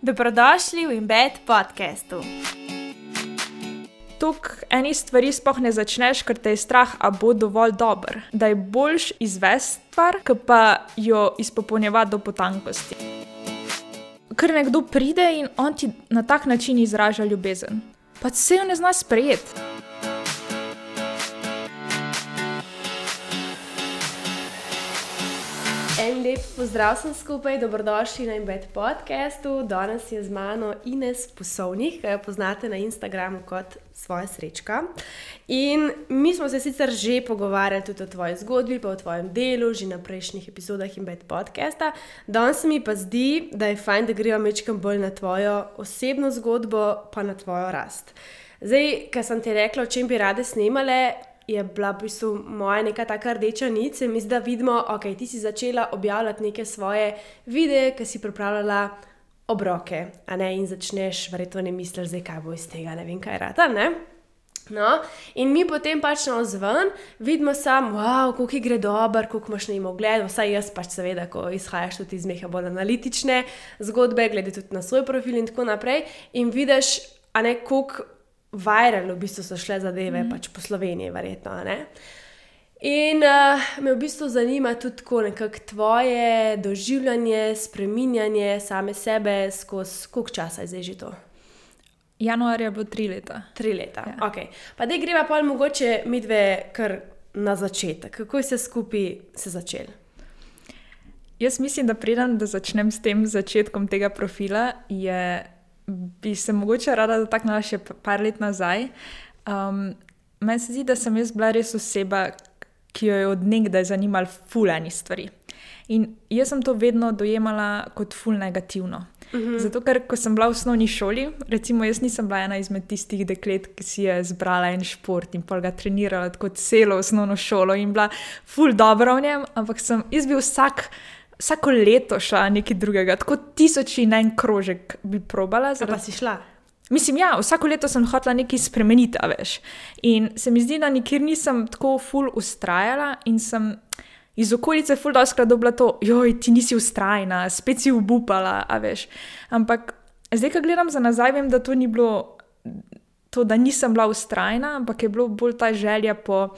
Dobrodošli v Embed podcastu. Tuk eni stvari sploh ne začneš, ker te je strah, a bo dovolj dober. Da je boljš izvesti stvar, ki pa jo izpopolnjevati do potankosti. Ker nekdo pride in on ti na tak način izraža ljubezen. Pa se jo ne zna sprejeti. En lep pozdrav sem skupaj, dobrodošli na Embed podcastu. Danes je z mano Ines Posovnik, ki jo poznate na Instagramu kot Svoja srečka. In mi smo se sicer že pogovarjali tudi o tvoji zgodbi, pa o tvojem delu, že na prejšnjih epizodah Embed podcasta. Danes se mi pa zdi, da je fajn, da greva mečkam bolj na tvojo osebno zgodbo, pa na tvojo rast. Zdaj, ko sem ti rekla, o čem bi rade snemale, je bila v bistvu moja neka taka rdeča nit, se mi zdi, da vidimo, ok, ti si začela objavljati neke svoje videe, ki si pripravljala obroke, a ne, in začneš, verjetno ne misliš, zdaj kaj bo iz tega, ne vem kaj rata, ne? No, in mi potem pač navzven vidimo samo, wow, koliko gre dober, koliko imaš na njim ogled, vsaj jaz pač seveda, ko izhajaš tudi iz meha bolj analitične zgodbe, glede tudi na svoj profil in tako naprej, in vidiš, a ne, koliko viral v bistvu so šle zadeve pač po Sloveniji, verjetno, ne? In me v bistvu zanima tudi tako nekako tvoje doživljanje, spreminjanje same sebe skozi koliko časa je zdaj že to? Januarja je bilo 3 leta. 3 leta, Ja. ok. Pa daj greva pol mogoče midve kar na začetek. Kako je se skupaj začeli? Jaz mislim, da preden da začnem s tem začetkom tega profila, bi se mogoče rada dotaknila še par let nazaj. Meni se zdi, da sem jaz bila res oseba, ki jo je od nekdaj zanimalo ful enih stvari. In jaz sem to vedno dojemala kot ful negativno. Zato, ker ko sem bila v osnovni šoli, recimo jaz nisem bila ena izmed tistih deklet, ki si je zbrala en šport in pol ga trenirala tako celo osnovno šolo in bila ful dobra v njem, ampak jaz bi vsako leto šla nekaj drugega, tako 1000 in en krožek bi probala. Pa si šla? Mislim, ja, vsako leto sem hotela nekaj spremeniti, a veš. In se mi zdi, da nikjer nisem tako ful ustrajala in sem iz okolice ful dostikrat dobila to, joj, ti nisi ustrajna, spet si obupala, a veš. Ampak zdaj, ko gledam za nazaj, vem, da to ni bilo to, da nisem bila ustrajna, ampak je bilo bolj ta želja po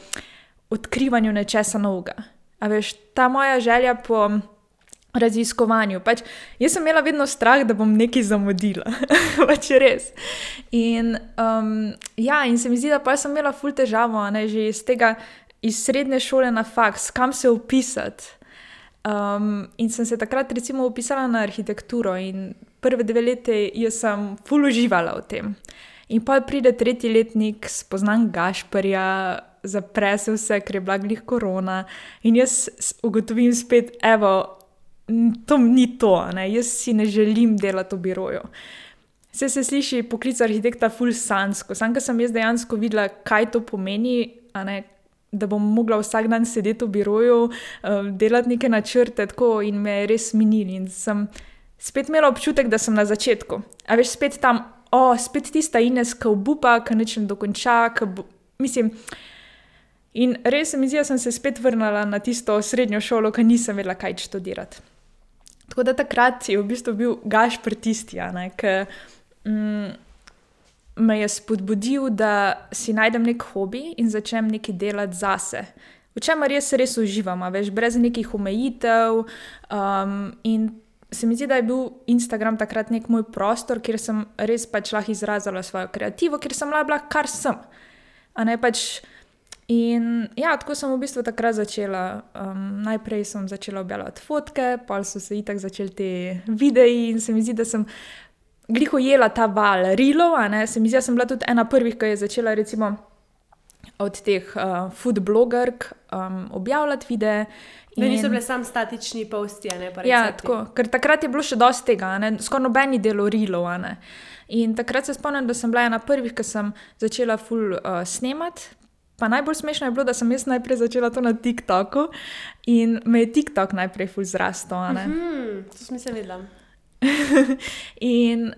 odkrivanju nečesa novega. A veš, ta moja želja po raziskovanju. Pač, jaz sem imela vedno strah, da bom nekaj zamudila. Pač res. In in se mi zdi, da pa sem imela ful težavo, ne, že iz srednje šole na faks, kam se vpisati. In sem se takrat recimo vpisala na arhitekturo in prve 2 leti jaz sem ful uživala v tem. In pa pride 3. letnik, spoznam Gašperja, zapre se vse, ker je bila glih korona in jaz ugotovim spet, evo, to ni to, ne? Jaz si ne želim delati v biroju. Se sliši poklic arhitekta ful sanjsko, samo ker sem jaz dejansko videla, kaj to pomeni, a ne, da bom mogla vsak dan sedeti v biroju, delati neke načrte tako in me je res minil in sem spet imela občutek, da sem na začetku. A veš, spet tam, spet tista Ines, ki obupa, ki nič ne dokonča, mislim. In res se mi zdi, da sem se spet vrnila na tisto srednjo šolo, ki nisem vedela, kaj študirati. Tako da takrat je v bistvu bil Gašper tisti, ki me je spodbudil, da si najdem nek hobi in začnem nekaj delati zase. V čemer res uživam, veš, brez nekih omejitev. In se mi zdi, da je bil Instagram takrat nek moj prostor, kjer sem res pač lahko izrazila svojo kreativo, kjer sem bila, kar sem. A ne pač. In ja, tako sem v bistvu takrat začela. Najprej sem začela objavljati fotke, pa so se itak začeli te videi in se mi zdi, da sem glih ujela ta val reelov, a ne. Se mi zdi, da sem bila tudi ena prvih, ki je začela recimo od teh food blogerk objavljati videe. Da niso bile sam statični posti, a ne pa recepti. Ja, tako, ker takrat je bilo še dosti tega, a ne, skoraj nobeni delo reelov, a ne. In takrat se spomnim, da sem bila ena prvih, ki sem začela ful snemati. Pa najbolj smešno je bilo, da sem jaz najprej začela to na TikToku in me je TikTok najprej ful zrastel, a ne. To sem se vedela. In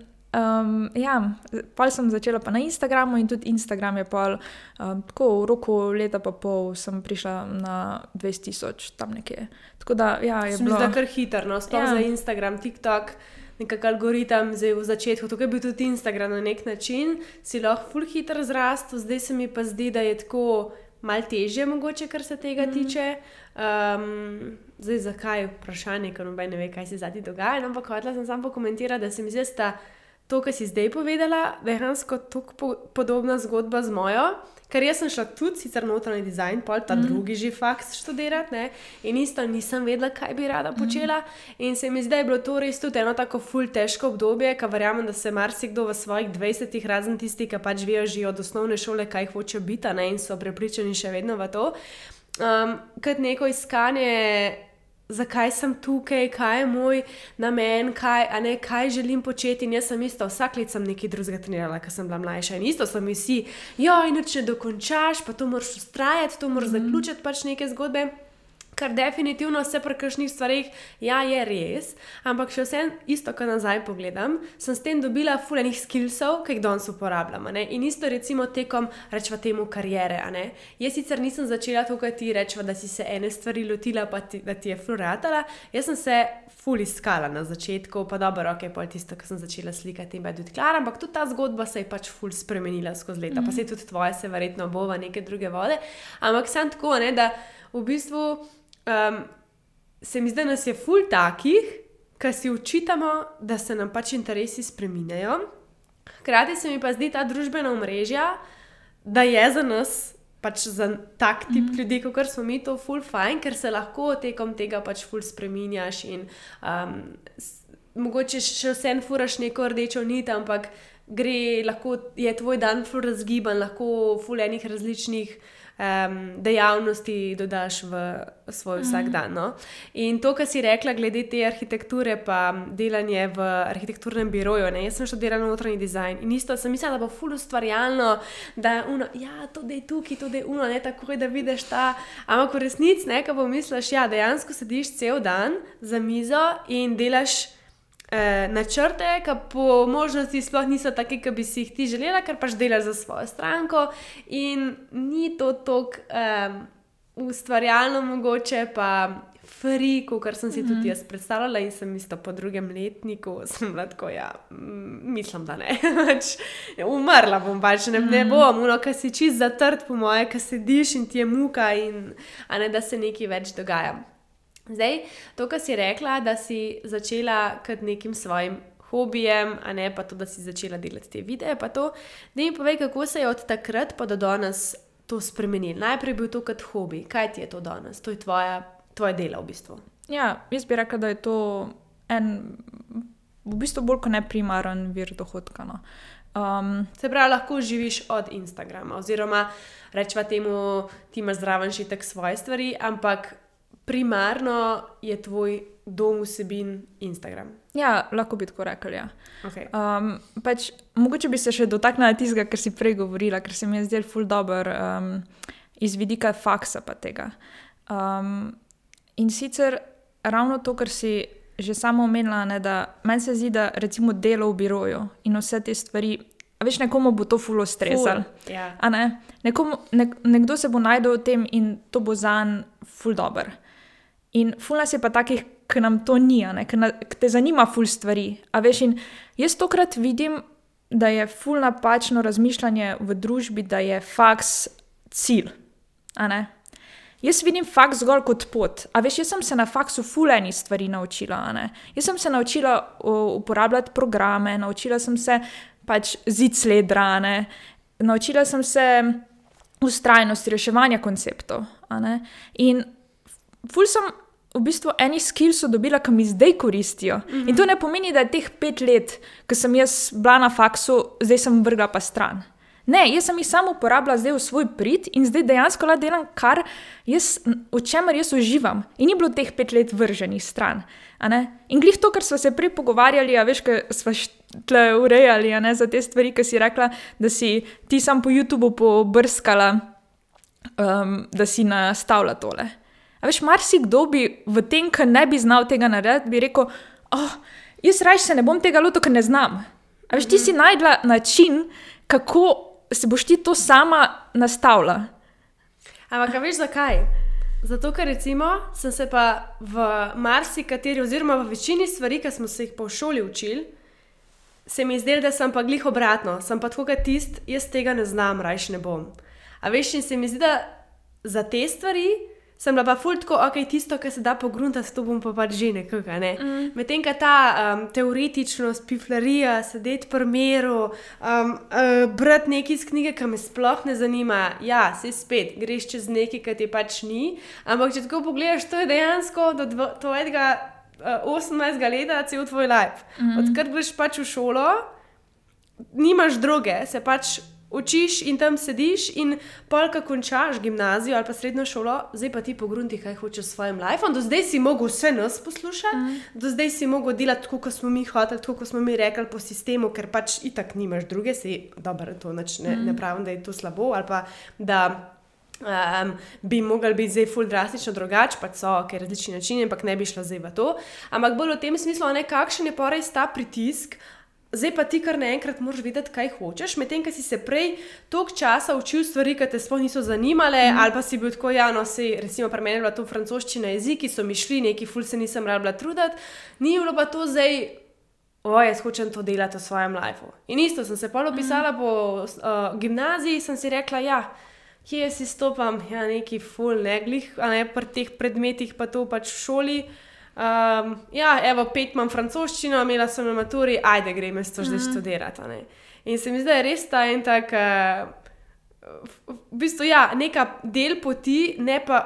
pol sem začela pa na Instagramu in tudi Instagram je pol tako v roku leta pa pol sem prišla na 20 000 tam nekje. Tako da, ja, je bilo. Se mi zdi kar hitro, no, sploh za Instagram, TikTok. nekak algoritem zdaj v začetku, tukaj je bil tudi Instagram na nek način, si lahko ful hitro zrastel, zdaj se mi pa zdi, da je tako malo težje mogoče, kar se tega tiče. Zdaj, zakaj vprašanje, ker noben ne ve, kaj se zadnji dogaja, ampak hotela sem samo pokomentirati, da se mi zdi, da to, kar si zdaj povedala, dejansko tako podobna zgodba z mojo, ker jaz sem šla tudi sicer notranji dizajn, pol ta drugi že faks študirati, ne, in isto nisem vedela, kaj bi rada počela in se mi zdi, da je bilo to res tudi eno tako ful težko obdobje, ker verjamem, da se marsikdo v svojih 20-ih, razen tisti, ki pač vejo že od osnovne šole, kaj hoče biti, ne, in so prepričani še vedno v to, kot neko iskanje, zakaj sem tukaj, kaj je moj namen, kaj želim početi. In jaz sem isto, vsak let sem nekaj drugega trenirala, ko sem bila mlajša. In isto so mi vsi, nič ne dokončaš, pa to moraš vztrajati, to moraš zaključiti pač neke zgodbe. Kar definitivno vse pri kakšnih stvareh, je res, ampak še vse isto, ko nazaj pogledam, sem s tem dobila ful enih skillsov, ki jih danes uporabljam, ne? In isto recimo tekom, rečva temu, kariere, ne? Jaz sicer nisem začela to, kaj ti rečva, da si se ene stvari lotila, pa da ti je ful ratala, jaz sem se ful iskala na začetku, pa dobro, pol tisto, ko sem začela slikati in pa je tudi klar, ampak tudi ta zgodba se je pač ful spremenila skozi leta, pa se tudi tvoje se verjetno bova neke druge vode, ampak sem tako, ne, da v bistvu se mi zdi, da nas je ful takih, ki si učitamo, da se nam pač interesi spreminjajo. Hkrati se mi pa zdi ta družbena omrežja, da je za nas, pač za tak tip ljudi, kot smo mi, to ful fajn, ker se lahko tekom tega pač ful spreminjaš in mogoče še vsem furaš neko rdečo nit, ampak lahko je tvoj dan ful razgiban, lahko ful enih različnih dejavnosti dodaš v svoj vsak dan. No? In to, kar si rekla glede te arhitekture pa delanje v arhitekturnem biroju, ne? Jaz sem študirala notranji dizajn in isto sem mislila, da bo ful ustvarjalno, da to da je tukaj, to da je ne, takoj da vidiš ta, ampak v resnici, ne, ko pomisliš, dejansko sediš cel dan za mizo in delaš načrte, ki po možnosti sploh niso taki, ki bi si jih ti želela, ker pač delaš za svojo stranko in ni to toliko ustvarjalno mogoče, pa free, kar sem si tudi jaz predstavljala in sem isto po drugem letniku, sem bila tako, mislim, da ne, umrla bom pač, ne bom, ki si čist zatrt po moje, ki sediš in ti je muka in da se nekaj več dogaja. Zdaj, to, kar si rekla, da si začela kot nekim svojim hobijem, pa to, da si začela delati te videe, pa to, da mi povej, kako se je od takrat pa do danes to spremenilo. Najprej bil to kot hobi. Kaj ti je to danes? To je tvoje delo v bistvu. Jaz bi rekla, da je to v bistvu bolj kot ne primaren vir dohodka. No. Se pravi, lahko živiš od Instagrama, oziroma rečva temu, ti imaš zraven šitek svoje stvari, ampak primarno je tvoj dom vsebin Instagram. Lahko bi tako rekli, Okay. Pač, mogoče bi se še dotaknila tistega, kar si prej govorila, ker se mi je zdel ful dober iz vidika faksa pa tega. In sicer ravno to, kar si že samo omenila, da meni se zdi, da recimo delo v biroju in vse te stvari, veš, nekomu bo to ful ustrezalo. Nekdo se bo najdel v tem in to bo zanj ful dober. In ful nas je pa takih, ki nam to ni, ki te zanima ful stvari. A veš, in jaz tokrat vidim, da je ful napačno razmišljanje v družbi, da je faks cilj. Jaz vidim faks zgolj kot pot. A veš, jaz sem se na faksu ful enih stvari naučila. Jaz sem se naučila uporabljati programe, naučila sem se pač zicledra, naučila sem se vztrajnosti, reševanja konceptov. In ful sem v bistvu eni skillsov dobila, ki mi zdaj koristijo. In to ne pomeni, da je teh 5 let, ki sem jaz bila na faksu, zdaj sem vrgla pa stran. Ne, jaz sem jih samo uporabila zdaj v svoj prid in zdaj dejansko lahko delam, o čemer jaz uživam. In ni bilo teh 5 let vrženih stran. In glih to, kar sva se prej pogovarjali, veš, ker sva tle urejali za te stvari, ki si rekla, da si ti sam po YouTubeu pobrskala, da si nastavila tole. A veš, marsikdo bi v tem, ker ne bi znal tega narediti, bi rekel, jaz raje se ne bom tega lotil, ker ne znam. A veš, ti si najdla način, kako se boš ti to sama nastavila. Ampak veš zakaj? Zato, ker recimo sem se pa v marsikateri, oziroma v večini stvari, ki smo se jih pa v šoli učili, se mi je zdelo, da sem pa glih obratno. Sem pa tako, kot tist, jaz tega ne znam, rajš ne bom. A veš, in se mi zdi, da za te stvari sem bila pa ful tako, ok, tisto, kar se da pogruntati, to bom pa pač že nekega, ne. Medtem, ka ta teoretičnost, piflarija, sedeti pri miru, brati nekaj iz knjige, ki me sploh ne zanima, ja, saj spet, greš čez nekaj, ki ti pač ni, ampak če tako pogledaš, to je dejansko do tvojega 18. leta cel tvoj life. Odkar greš pač v šolo, nimaš droge, se pač učiš in tam sediš in pol, ko končaš gimnazijo ali pa srednjo šolo, zdaj pa ti pogrunti, kaj hočeš s svojim lifeom. Do zdaj si mogel vse nas poslušati, do zdaj si mogel delati tako, kot smo mi hoteli, tako, kot smo mi rekli po sistemu, ker pač itak nimaš druge, sej, dobro, to ne pravim, da je to slabo, ali pa da bi mogli biti zdaj ful drastično drugače, pač so, ker različni načini, ampak ne bi šla zdaj v to. Ampak bolj v tem smislu, kakšen je pa res ta pritisk, zdaj pa ti kar naenkrat moraš vedeti, kaj hočeš, medtem, ko si se prej toliko časa učil stvari, ki te sploh niso zanimale, ali pa si bil tako, ja, no, sej, recimo pri meni je bila to francoščina jeziki, so mi šli, neki ful se nisem rabila truditi, ni bilo pa to zdaj, jaz hočem to delati v svojem lifeu. In isto, sem se pol opisala po gimnaziji, sem si rekla, ja, kje jaz izstopam, ja, neki ful, ne, glih, a ne, pri teh predmetih pa to pač v šoli. Ja, evo, 5 imam francoščino, imela sem na maturi, ajde, grem jaz to zdaj študirati. Ne. In se mi zdi, da je res ta en tak, v bistvu, ja, neka del poti, ne pa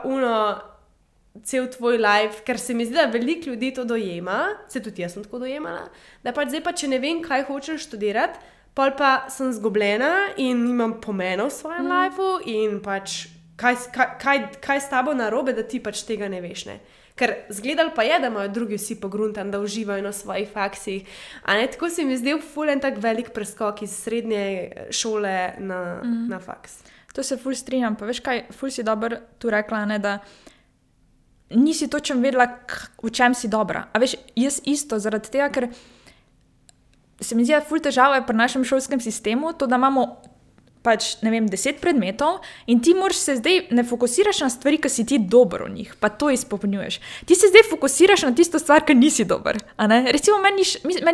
cel tvoj life, ker se mi zdi, da veliko ljudi to dojema, se tudi jaz sem tako dojemala, da pač zdaj pa, če ne vem, kaj hočem študirati, pol pa sem zgubljena in nimam pomena v svojem lifeu in pač, kaj s tabo narobe, da ti pač tega ne veš, ne. Ker zgledali pa je, da imajo drugi vsi pogruntan, da uživajo na svojih faksih. A ne, tako se mi zdel ful en tak velik preskok iz srednje šole na faks. To se ful strinjam, pa veš kaj, ful si dobro tu rekla, ne, da nisi točno vedela, v čem si dobra. A veš, jaz isto, zaradi tega, ker se mi zdi, da ful težava je pri našem šolskem sistemu, to, da imamo pač, ne vem, 10 predmetov in ti moraš se zdaj ne fokusiraš na stvari, ki si ti dober v njih, pa to izpopolnjuješ. Ti se zdaj fokusiraš na tisto stvar, ki nisi dober, a ne? Recimo, meni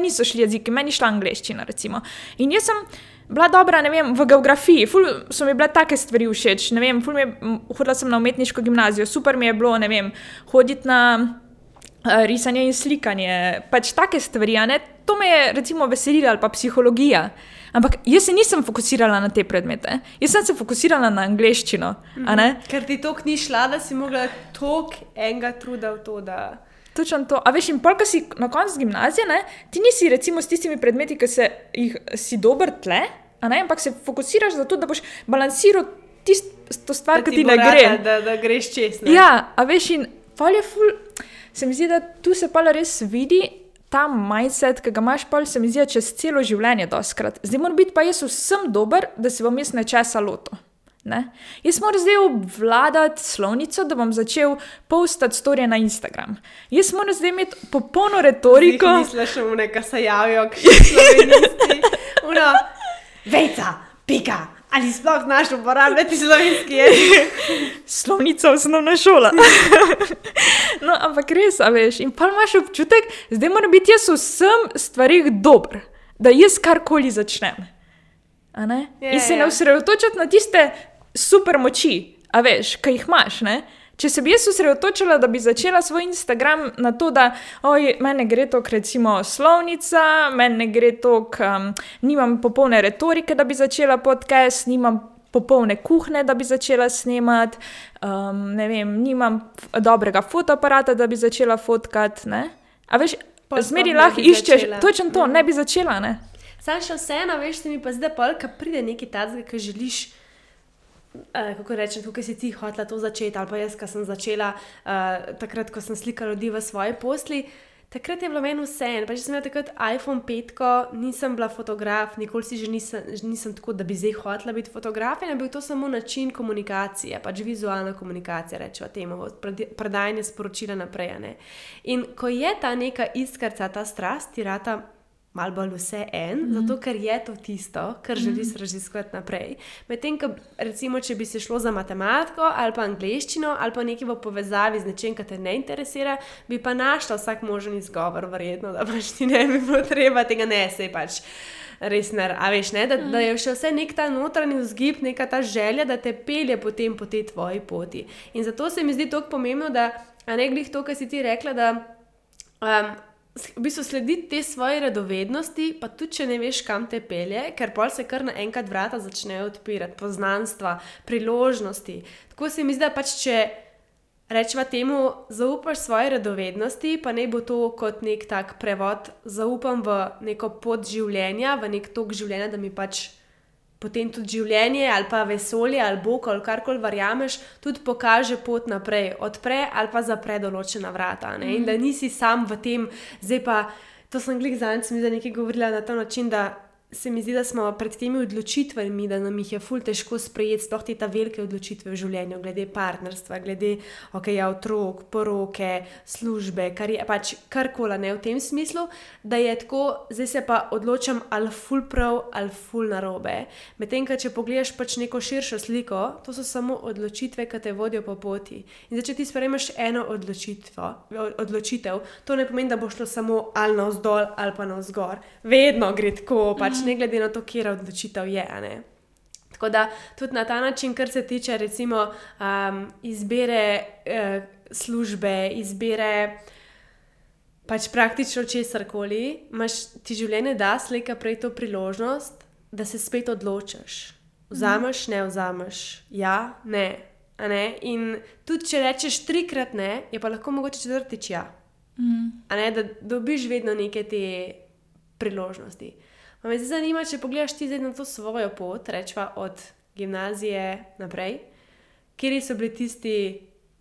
niso šli jeziki, meni šla angleščina, recimo. In jaz sem bila dobra, ne vem, v geografiji, ful so mi bile take stvari všeč, ne vem, hodila sem na umetniško gimnazijo, super mi je bilo, ne vem, hoditi na risanje in slikanje, pač take stvari, a ne? To me je, recimo, veselilo, ali pa psihologija. Ampak jaz se nisem fokusirala na te predmete. Jaz sem se fokusirala na angleščino, a ne? Ker ti toliko ni šla, da si mogla toliko enega truda v to, da... Točno to. A veš, in pol, ko si na koncu gimnazije, ne, ti nisi recimo s tistimi predmeti, ki si dober tle, a ne, ampak se fokusiraš za to, da boš balansiral tisto stvar, ki ti ne gre. Da greš čez, ne? Ja, a veš, in pol je ful... Se mi zdi, da tu se pol res vidi ta mindset, ki ga imaš pol, se mi zdi, čez celo življenje doskrat. Zdaj moram biti pa jaz vsem dober, da se bom jaz nečesa lotil. Ne? Jaz moram zdaj obvladati slovnico, da bom začel postati storije na Instagram. Jaz moram zdaj imeti popolno retoriko. Zdaj misliš, neka se javijo, ki slovenisti. Vejca, pika, ali sploh znaš uporabljati slovenski jezik? Slovnica osnovna šola. No, ampak res, a veš, in pa imaš občutek, zdaj moram biti jaz vsem stvarih dober, da jaz karkoli začnem. A ne? In se ne osredotočati na tiste super moči, a veš, ki jih imaš, ne? Če se bi jaz osredotočila, da bi začela svoj Instagram na to, da meni gre toliko recimo slovnica, meni gre toliko, nimam popolne retorike, da bi začela podcast, nimam popolne kuhne, da bi začela snemati, ne vem, nimam dobrega fotoaparata, da bi začela fotkati, ne? A veš, zmeri lahko iščeš, točno to, ne bi začela, ne? Sam še vseeno, veš, se mi pa zdaj pol, ko pride nekaj tazga, ki želiš, kako rečem, tukaj si ti hotela to začeti, ali pa jaz, ko sem začela takrat, ko sem slikala ljudi v svoji posli, takrat je bilo meni vseeno. Pač sem imela takrat iPhone 5, nisem bila fotograf, nikoli si že nisem tako, da bi zdaj hotela biti fotograf, in je bil to samo način komunikacije, pač vizualna komunikacija, rečeva temu, predajanje sporočila naprej, ne. In ko je ta neka iskrca, ta strast, ti rata malo bolj vse zato ker je to tisto, kar želiš raziskovati naprej. Medtem, ko recimo, če bi se šlo za matematiko ali pa angleščino ali pa nekaj v povezavi z nečem, kar te ne interesira, bi pa našla vsak možen izgovor, verjetno, da pač ti ne bi bilo treba tega sej pač res a veš, ne, da je še vse nek ta notranji vzgib, neka ta želja, da te pelje potem po tej tvoji poti. In zato se mi zdi toliko pomembno, da, a ne glih to, kar si ti rekla, da v bistvu slediti te svoje radovednosti, pa tudi, če ne veš, kam te pelje, ker pol se kar naenkrat vrata začnejo odpirati, poznanstva, priložnosti. Tako se mi zdi, da pač, če rečeva temu, zaupaš svoje radovednosti, pa ne bo to kot nek tak prevod, zaupam v neko pot življenja, v nek tok življenja, da mi pač potem tudi življenje ali pa vesolje ali Bog ali karkoli verjameš, tudi pokaže pot naprej, odpre ali pa zapre določena vrata. Ne? In da nisi sam v tem, zdaj pa, to sem glih zadnjič mi za nekaj govorila na ta način, da se mi zdi, da smo pred temi odločitvami, da nam jih je ful težko sprejeti, sploh te ta velike odločitve v življenju, glede partnerstva, glede otrok, poroke, službe, pač karkoli, ne, v tem smislu, da je tako, zdaj se pa odločam ali ful prav ali ful narobe. Medtem, če pogledaš pač neko širšo sliko, to so samo odločitve, ki te vodijo po poti. In zdaj, če ti sprejmeš eno odločitev, to ne pomeni, da bo šlo samo ali navzdol ali pa navzgor. Vedno gre tako, pač ne glede na to, kjera odločitev je, a ne. Tako da tudi na ta način, kar se tiče recimo izbire službe, izbire pač praktično česarkoli, ti življenje da slejka prej to priložnost, da se spet odločiš. Vzameš, ne vzameš, ja, ne, a ne. In tudi, če rečeš 3-krat ne, je pa lahko mogoče 4-tič ja. A ne, da dobiš vedno neke te priložnosti. Pa me zdaj zanima, če pogledaš ti zdaj na to svojo pot, rečva od gimnazije naprej, kjeri so bili tisti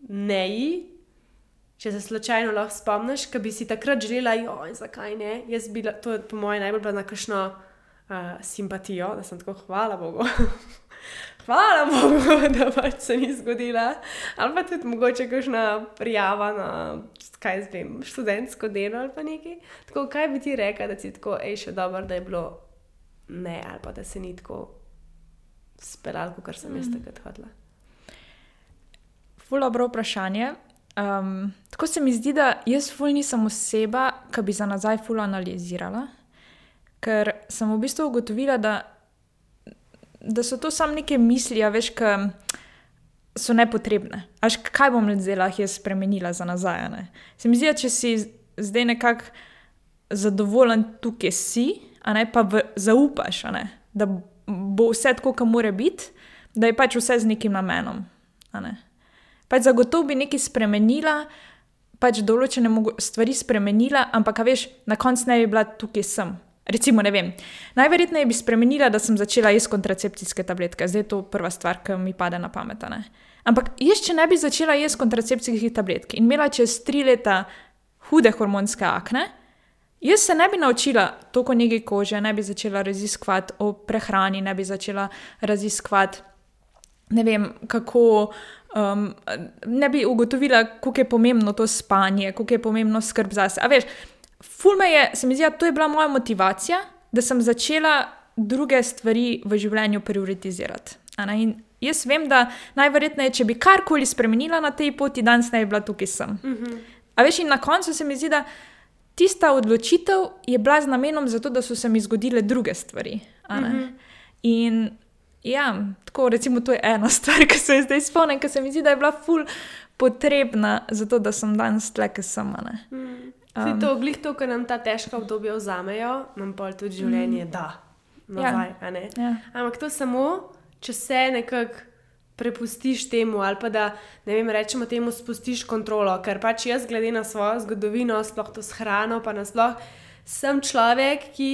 neji, če se slučajno lahko spomniš, ki bi si takrat želela, zakaj ne, jaz bi to po moje najbolj bila na kakšno simpatijo, da sem tako, hvala Bogu, da pač se ni zgodila, ali pa tudi mogoče kakšna prijava na, kaj jaz vem, študentsko delo ali pa nekaj. Tako, kaj bi ti rekla, da si tako, še dobro, da je bilo ne, ali pa da se ni tako speljalo, kar sem jaz takrat hodila. Ful dobro vprašanje. Tako se mi zdi, da jaz ful nisem oseba, ki bi za nazaj ful analizirala, ker sem v bistvu ugotovila, da so to samo neke misli, veš, ki so nepotrebne. Kaj bom zdaj lahko jaz spremenila za nazaj, ne? Se mi zdi, da če si zdaj nekako zadovoljen tukaj si, a ne, pa zaupaš, a ne, da bo vse tako, kot mora biti, da je pač vse z nekim namenom, a ne. Pač zagotovo bi nekaj spremenila, pač določene stvari spremenila, ampak, a veš, na koncu ne bi bila tukaj sem. Recimo, ne vem, najverjetneje bi spremenila, da sem začela jesti kontracepcijske tabletke. Zdaj je to prva stvar, ki mi pade na pamet, ne. Ampak jaz, če ne bi začela jesti kontracepcijskih tabletk in imela čez 3 leta hude hormonske akne, jaz se ne bi naučila toliko nege kože, ne bi začela raziskovati o prehrani, ne bi začela raziskovati, ne vem, kako, ne bi ugotovila, koliko je pomembno to spanje, koliko je pomembno skrb zase. A veš, ful me je, se mi zdi, to je bila moja motivacija, da sem začela druge stvari v življenju prioritizirati. In jaz vem, da najverjetneje, če bi karkoli spremenila na tej poti, danes ne bi bila tukaj sem. A veš, in na koncu se mi zdi, da tista odločitev je bila z namenom zato, da so se mi zgodile druge stvari. In ja, tako recimo to je ena stvar, ki se je zdaj spomnim, ki se mi zdi, da je bila ful potrebna zato, da sem danes tle, ki sem, ne. Glih to, ker nam ta težka obdobja vzamejo, nam pol tudi življenje da nazaj, a ne? Ja. Ampak to samo, če se nekako prepustiš temu ali pa da, ne vem, rečemo temu, spustiš kontrolo, ker pač jaz glede na svojo zgodovino, sploh to s hrano, pa nasploh, sem človek, ki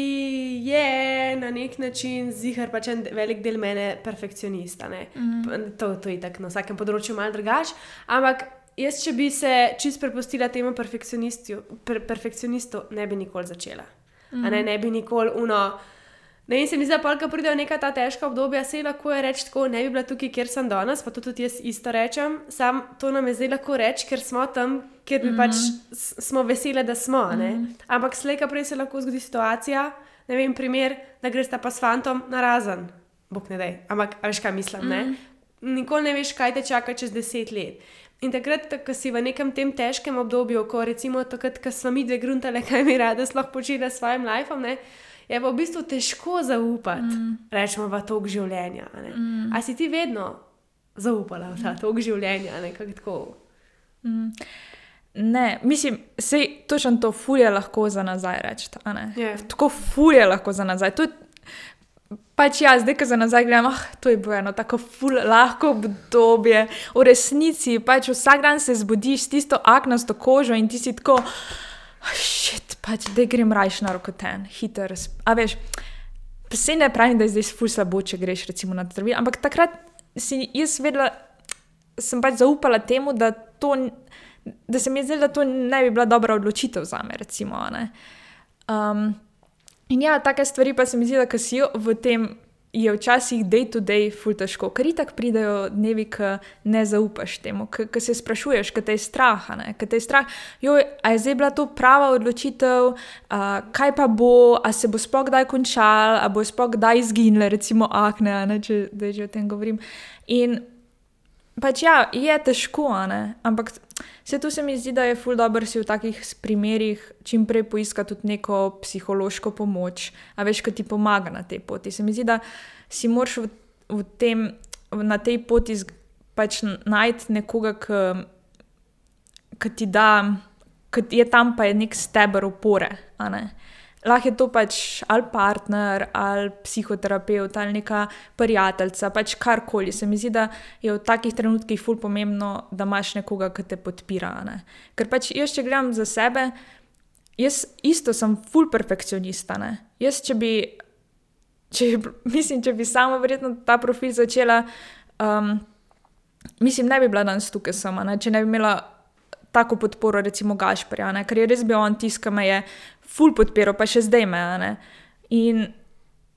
je na nek način ziher pač en velik del mene perfekcionista, ne? To je tako na vsakem področju malo drugače, ampak jaz, če bi se čisto prepustila temu perfekcionistu, ne bi nikoli začela. Ne bi nikoli Ne, in se mi zdi, da ko pridejo neka ta težka obdobja, se lahko je reči tako, ne bi bila tukaj, kjer sem danes, pa to tudi jaz isto rečem, sam to nam je zdaj lahko reči, ker smo tam, kjer bi pač smo vesele, da smo, ne. Ampak slejka prej se lahko zgodi situacija, ne vem, primer, da greš pa s fantom na razen, bog ne daj, ampak veš, kaj mislim, ne. Nikoli ne veš, kaj te čaka čez 10 let. In takrat, ko si v nekem tem težkem obdobju, ko recimo takrat, ko smo mi dve gruntale, kaj mi rada sploh počela s svojim lifeom, ne, je pa v bistvu težko zaupati, rečemo, v tok življenja. Ne? A si ti vedno zaupala v ta tok življenja? Nekako tako? Ne, mislim, sej točno to ful je lahko za nazaj reči. Tako ful je lahko za nazaj. To pač ja, zdaj, ko za nazaj gledam, to je bilo eno tako ful lahko obdobje. V resnici, pač vsak dan se zbudiš s tisto aknasto kožo in ti si tako... Shit, pač, da grem rajš na rokoten, hiter. A veš, se ne pravim, da je zdaj ful slabo, če greš recimo na zdravilo, ampak takrat si jaz vedela, sem pač zaupala temu, da se mi je zdelo, da to ne bi bila dobra odločitev zame, recimo, ne. In ja, take stvari pa se mi zdi, da ko si v tem, je včasih day to day ful težko, ker itak pridejo dnevi, ko ne zaupaš temu, ko se sprašuješ, ko te je strah, ne, ko te je strah, a je zdaj bila to prava odločitev, kaj pa bo, a se bo sploh kdaj končal, a bo sploh kdaj izginile, recimo akne, ne, če že o tem govorim. In pač ja, je težko, ne, ampak se tu se mi zdi, da je ful dobro si v takih primerih čim prej poiskati tudi neko psihološko pomoč, a veš, ko ti pomaga na tej poti. Se mi zdi, da si moraš na tej poti pač najti nekoga, ki ti da, ki je tam pa je nek steber opore, a ne. Lahko je to pač ali partner, ali psihoterapeut, ali neka prijateljica, pač karkoli. Se mi zdi, da je v takih trenutkih ful pomembno, da imaš nekoga, ki te podpira. Ne? Ker pač jaz, če gledam za sebe, jaz isto sem ful perfekcionista. Ne? Jaz, če bi sama verjetno ta profil začela, mislim, ne bi bila danes tukaj sama, ne? Če ne bi imela tako podporo, recimo Gašperja, ne? Ker je res bil on tisti, ki me je ful podpiral, pa še zdaj me, ne. In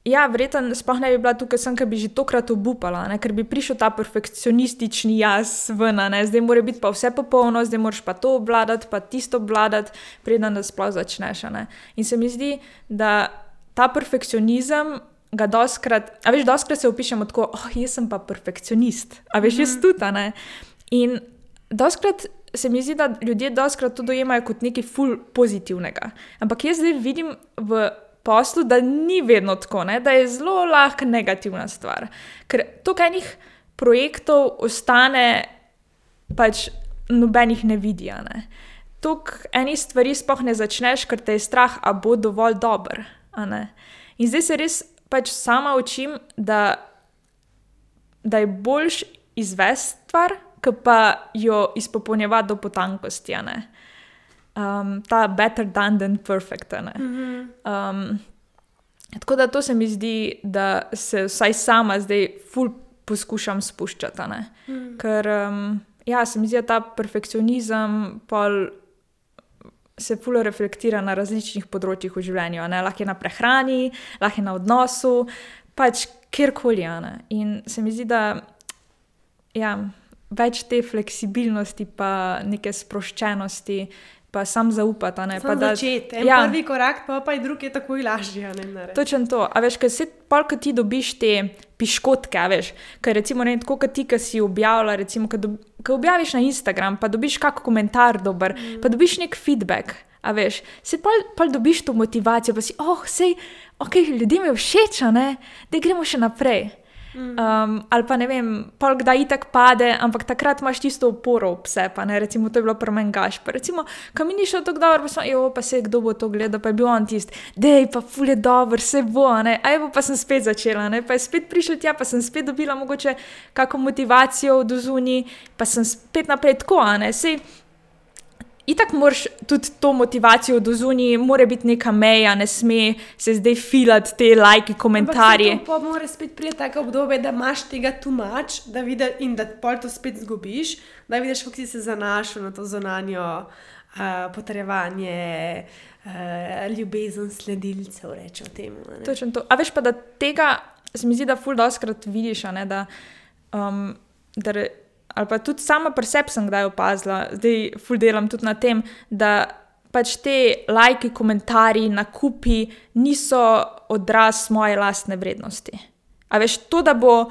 ja, verjetno sploh ne bi bila tukaj sem, ker bi že tokrat obupala, ne, ker bi prišel ta perfekcionistični jaz ven, ne, zdaj mora biti pa vse popolno, zdaj moraš pa to obvladati, pa tisto obvladati, preden da sploh začneš, ne. In se mi zdi, da ta perfekcionizem ga dostkrat, a veš, dostkrat se opišemo tako, jaz sem pa perfekcionist, a veš, jaz tudi, ne. In dostkrat se mi zdi, da ljudje dostkrat to dojemajo kot nekaj ful pozitivnega. Ampak jaz zdaj vidim v poslu, da ni vedno tako, ne? Da je zelo lahko negativna stvar. Ker toliko enih projektov ostane, pač nobenih ne vidi, ne? Toliko enih stvari sploh ne začneš, ker te je strah, a bo dovolj dober, a ne? In zdaj se res pač sama učim, da je boljš izvesti stvar, ki pa jo izpopolnjevati do potankosti, ne. Ta better done than perfect, ne. Tako da to se mi zdi, da se vsaj sama zdaj ful poskušam spuščati, ne. Ker, ja, se mi zdi, da ta perfekcionizem pol se ful reflektira na različnih področjih v življenju, ne. Lahko je na prehrani, lahko je na odnosu, pač kjerkoli, ne. In se mi zdi, da ja, več te fleksibilnosti pa neke sproščenosti, pa sam zaupati, ne. Sam začeti, prvi korak, pa je drugi takoj lažje, ne. Točno to, a veš, ker se pol, ko ti dobiš te piškotke, a veš, ker recimo, ne, tako kot ti, ki si objavila, recimo, ko objaviš na Instagram, pa dobiš kak komentar dober, pa dobiš nek feedback, a veš, se pol dobiš to motivacijo, pa si, sej, ljudem je všeč, ne, da gremo še naprej. Ali pa ne vem, pol kdaj itak pade, ampak takrat imaš tisto oporo ob se, pa ne, recimo to je bilo pri meni Gašper, recimo, ko mi ni šel tako dobro, pa sem, pa se kdo bo to gledal, pa je bil on tist, dej, pa ful je dober, se bo, ne, pa sem spet začela, ne, pa je spet prišel tja, pa sem spet dobila mogoče kako motivacijo od zunaj, pa sem spet naprej tako, ne, sej, itak moraš tudi to motivacijo od zunaj, mora biti neka meja, ne sme se zdaj filati te lajki, komentarji. Ampak pa mora spet priti tako obdobje, da imaš tega too much, in da pol to spet zgubiš, da vidiš, kako si se zanašal na to zunanjo potrjevanje, ljubezen sledilcev, reče o tem. Točno to. A veš pa, da tega se mi zdi, da ful doskrat vidiš, ne, da ali pa tudi sama pri sebi sem kdaj opazila, zdaj ful delam tudi na tem, da pač te lajki, komentarji, nakupi niso odraz moje lastne vrednosti. A veš, to, da bo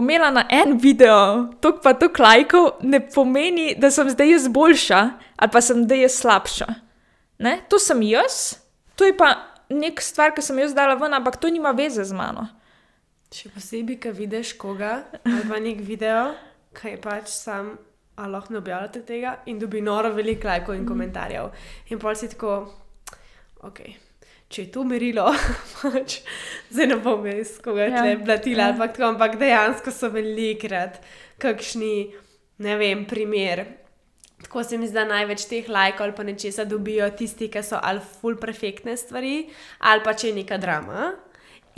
imela na en video toliko pa toliko lajkov, ne pomeni, da sem zdaj jaz boljša ali pa sem zdaj jaz slabša. Ne? To sem jaz, to je pa nek stvar, ki sem jaz dala ven, ampak to nima veze z mano. Še posebej, ko vidiš koga ali pa nek video, ki je pač sam, a lahko ne objavljate tega in dobi noro veliko lajkov in komentarjev. In pol si tako, če je to merilo, pač, zdaj ne bom jaz koga tle blatila, ampak dejansko so velikrat kakšni, ne vem, primer. Tako se mi zda največ teh lajkov ali pa nečesa dobijo tisti, ki so ali ful perfektne stvari, ali pa če je neka drama.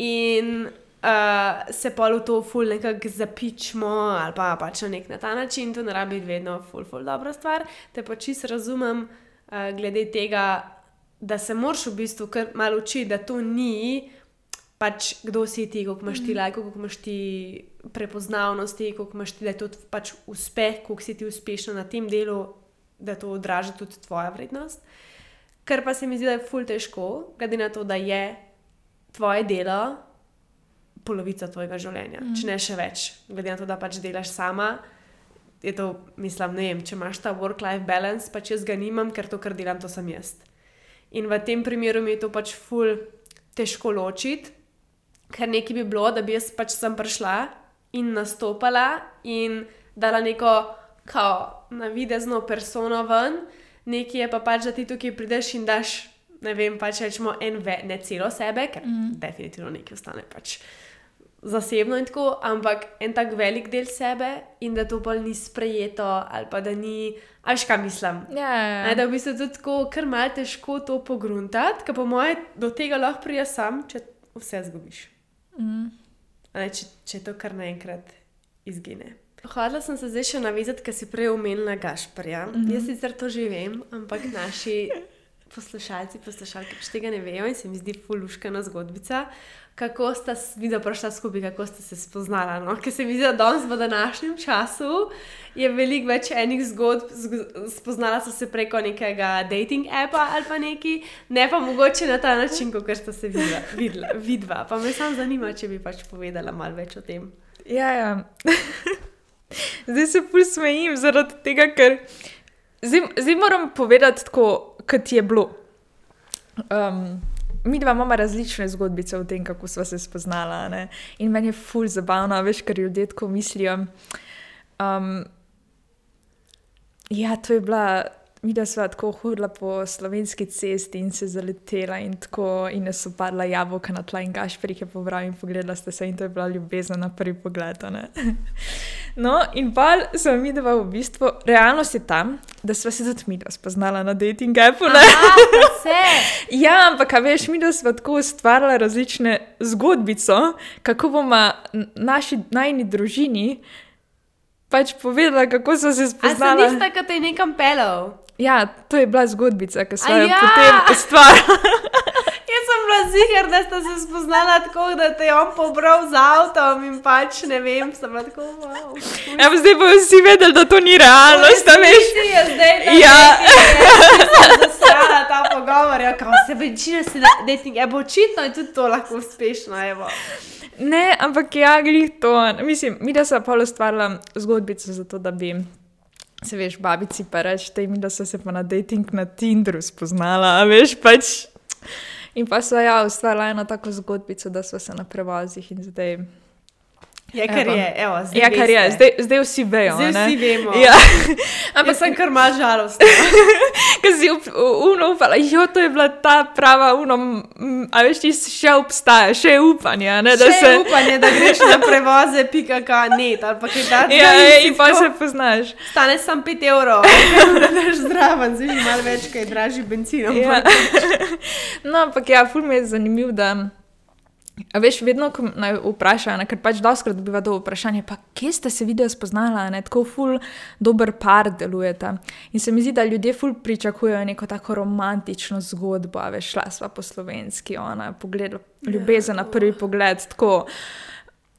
In se pol v to ful nekako zapičmo ali pa pač na nek na ta način, to ne rabi vedno ful dobra stvar. Te pa čisto razumem glede tega, da se moraš v bistvu kar malo učiti, da to ni pač kdo si ti, koliko imaš ti lajkov, koliko imaš ti prepoznavnosti, koliko imaš ti, da je to pač uspeh, koliko si ti uspešna na tem delu, da to odraža tudi tvoja vrednost. Kar pa se mi zdi, da je ful težko, glede na to, da je tvoje delo polovica tvojega življenja, če ne še več. Glede na to, da pač delaš sama, je to, mislim, ne vem, če imaš ta work-life balance, pač jaz ga nimam, ker to, kar delam, to sem jaz. In v tem primeru mi je to pač ful težko ločiti, ker nekaj bi bilo, da bi jaz pač sem prišla in nastopala in dala neko kao navidezno persono ven, nekaj je pa pač, da ti tukaj prideš in daš, ne vem, pač rečemo ne celo sebe, ker definitivno nekaj ostane pač zasebno in tako, ampak en tak velik del sebe in da to bolj ni sprejeto ali pa da ni, až kaj mislim. Ja. Da v bistvu tudi tako kar malo težko to pogruntati, ker po moje do tega lahko prija sam, če vse zgubiš. Če to kar naenkrat izgine. Hodila sem se zdaj še navezati, ker si prej omenila Gašperja. Jaz sicer to že vem, ampak naši poslušalci, poslušalke pač tega ne vejo in se mi zdi ful luškana zgodbica, kako sta videla prišla skupaj, kako sta se spoznala, no? Ker se mi zdi, da danes v današnjem času je veliko več enih zgodb, spoznala so se preko nekega dating appa ali pa neki, ne pa mogoče na ta način, kot sta se vidva. Pa me samo zanima, če bi pač povedala malo več o tem. Ja. Zdaj se ful smejim zaradi tega, ker zdaj moram povedati tako, kot je bilo. Mi dva imamo različne zgodbice o tem, kako sva se spoznala, ne? In meni je ful zabavno, veš, ker ljudje tako mislijo. To je bila, mi da sva tako hodila po Slovenski cesti in se zaletela in tako, in so padla jabolka na tla in Gašper jih je pobral in pogledala ste se in to je bila ljubezen na prvi pogled, ne? No, in pa sva mi dva v bistvu, realnost je tam, da sva se tudi mi dva spoznala na dating appu, ne? Ja, ampak a veš, mi da sva tako ustvarila različne zgodbico, kako bomo najini družini pač povedala, kako so se spoznala. A se nista, ko te je nekam pelal? Ja, to je bila zgodbica, ki sva jo potem ustvarila. Jaz sem bila ziher, da sta se spoznala tako, da te je on pobral z avtom in pač, ne vem, sem bila tako, wow. Ja, pa zdaj bojo vsi vedeli, da to ni realnost, a veš? Je zdaj tam sem zasrala ta pogovor, kao se večina si na dating, očitno je tudi to lahko uspešno, evo. Ne, ampak glih to, mislim, mi da sva pol ustvarila zgodbico za to, da bi se, veš, babici pa reč, mi da so se pa na dating na Tinderu spoznala, a veš, pač. In pa sva ustvarila eno tako zgodbico, da sva se na prevozih in zdaj... Kar je, evo, zdaj ja, kar je, zdaj vsi vejo, ne? Zdaj vsi vemo. Ja. Ampak sem kar malo žalostna. Ker si upala, to je bila ta prava, a veš, ti še obstaja, še je upanje, ne? Še je upanje, da greš na prevoze.net ali pa kaj takega. Ja, in pa se poznaš. Stane samo 5 €, da daš zdraven, zdaj že malo več, kaj je dražji benzinom. Ja. No, ampak ful mi je zanimiv, da A veš, vedno, ko naj vprašajo, ker pač doskrat dobiva to vprašanje, pa kje ste se video spoznala, tako ful dober par delujeta. In se mi zdi, da ljudje ful pričakujejo neko tako romantično zgodbo, a veš, šla sva po slovenski, ona pogledala ljubezen na prvi pogled, tako,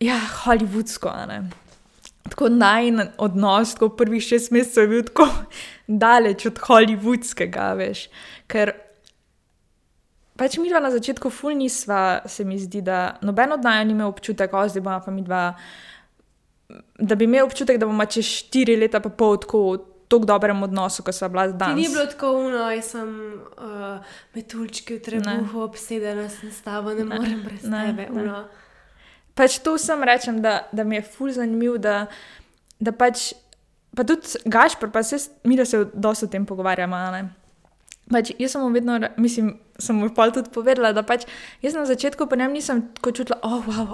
ja, hollywoodsko, Tako najin odnos, tako prvih 6 mesecev je bil tako daleč od hollywoodskega, veš, ker pač midva na začetku ful nisva, se mi zdi, da noben od naju ni imel občutek, zdaj bomo pa midva, da bi imel občutek, da bomo čez 4 leta pa pol tako dobrem odnosu, ko sva bila danes. Ti ni bilo tako jaz sem metuljčki v trebuhu, obsedena sem s tabo, ne morem brez tebe. Pač to vsem rečem, da mi je ful zanimiv, da pač, pa tudi Gašper, pa mi da se dosti o tem pogovarjamo, Pač jaz sem mu vedno, mislim, sem mu pol tudi povedala, da pač jaz na začetku pa njem nisem tako čutila, wow,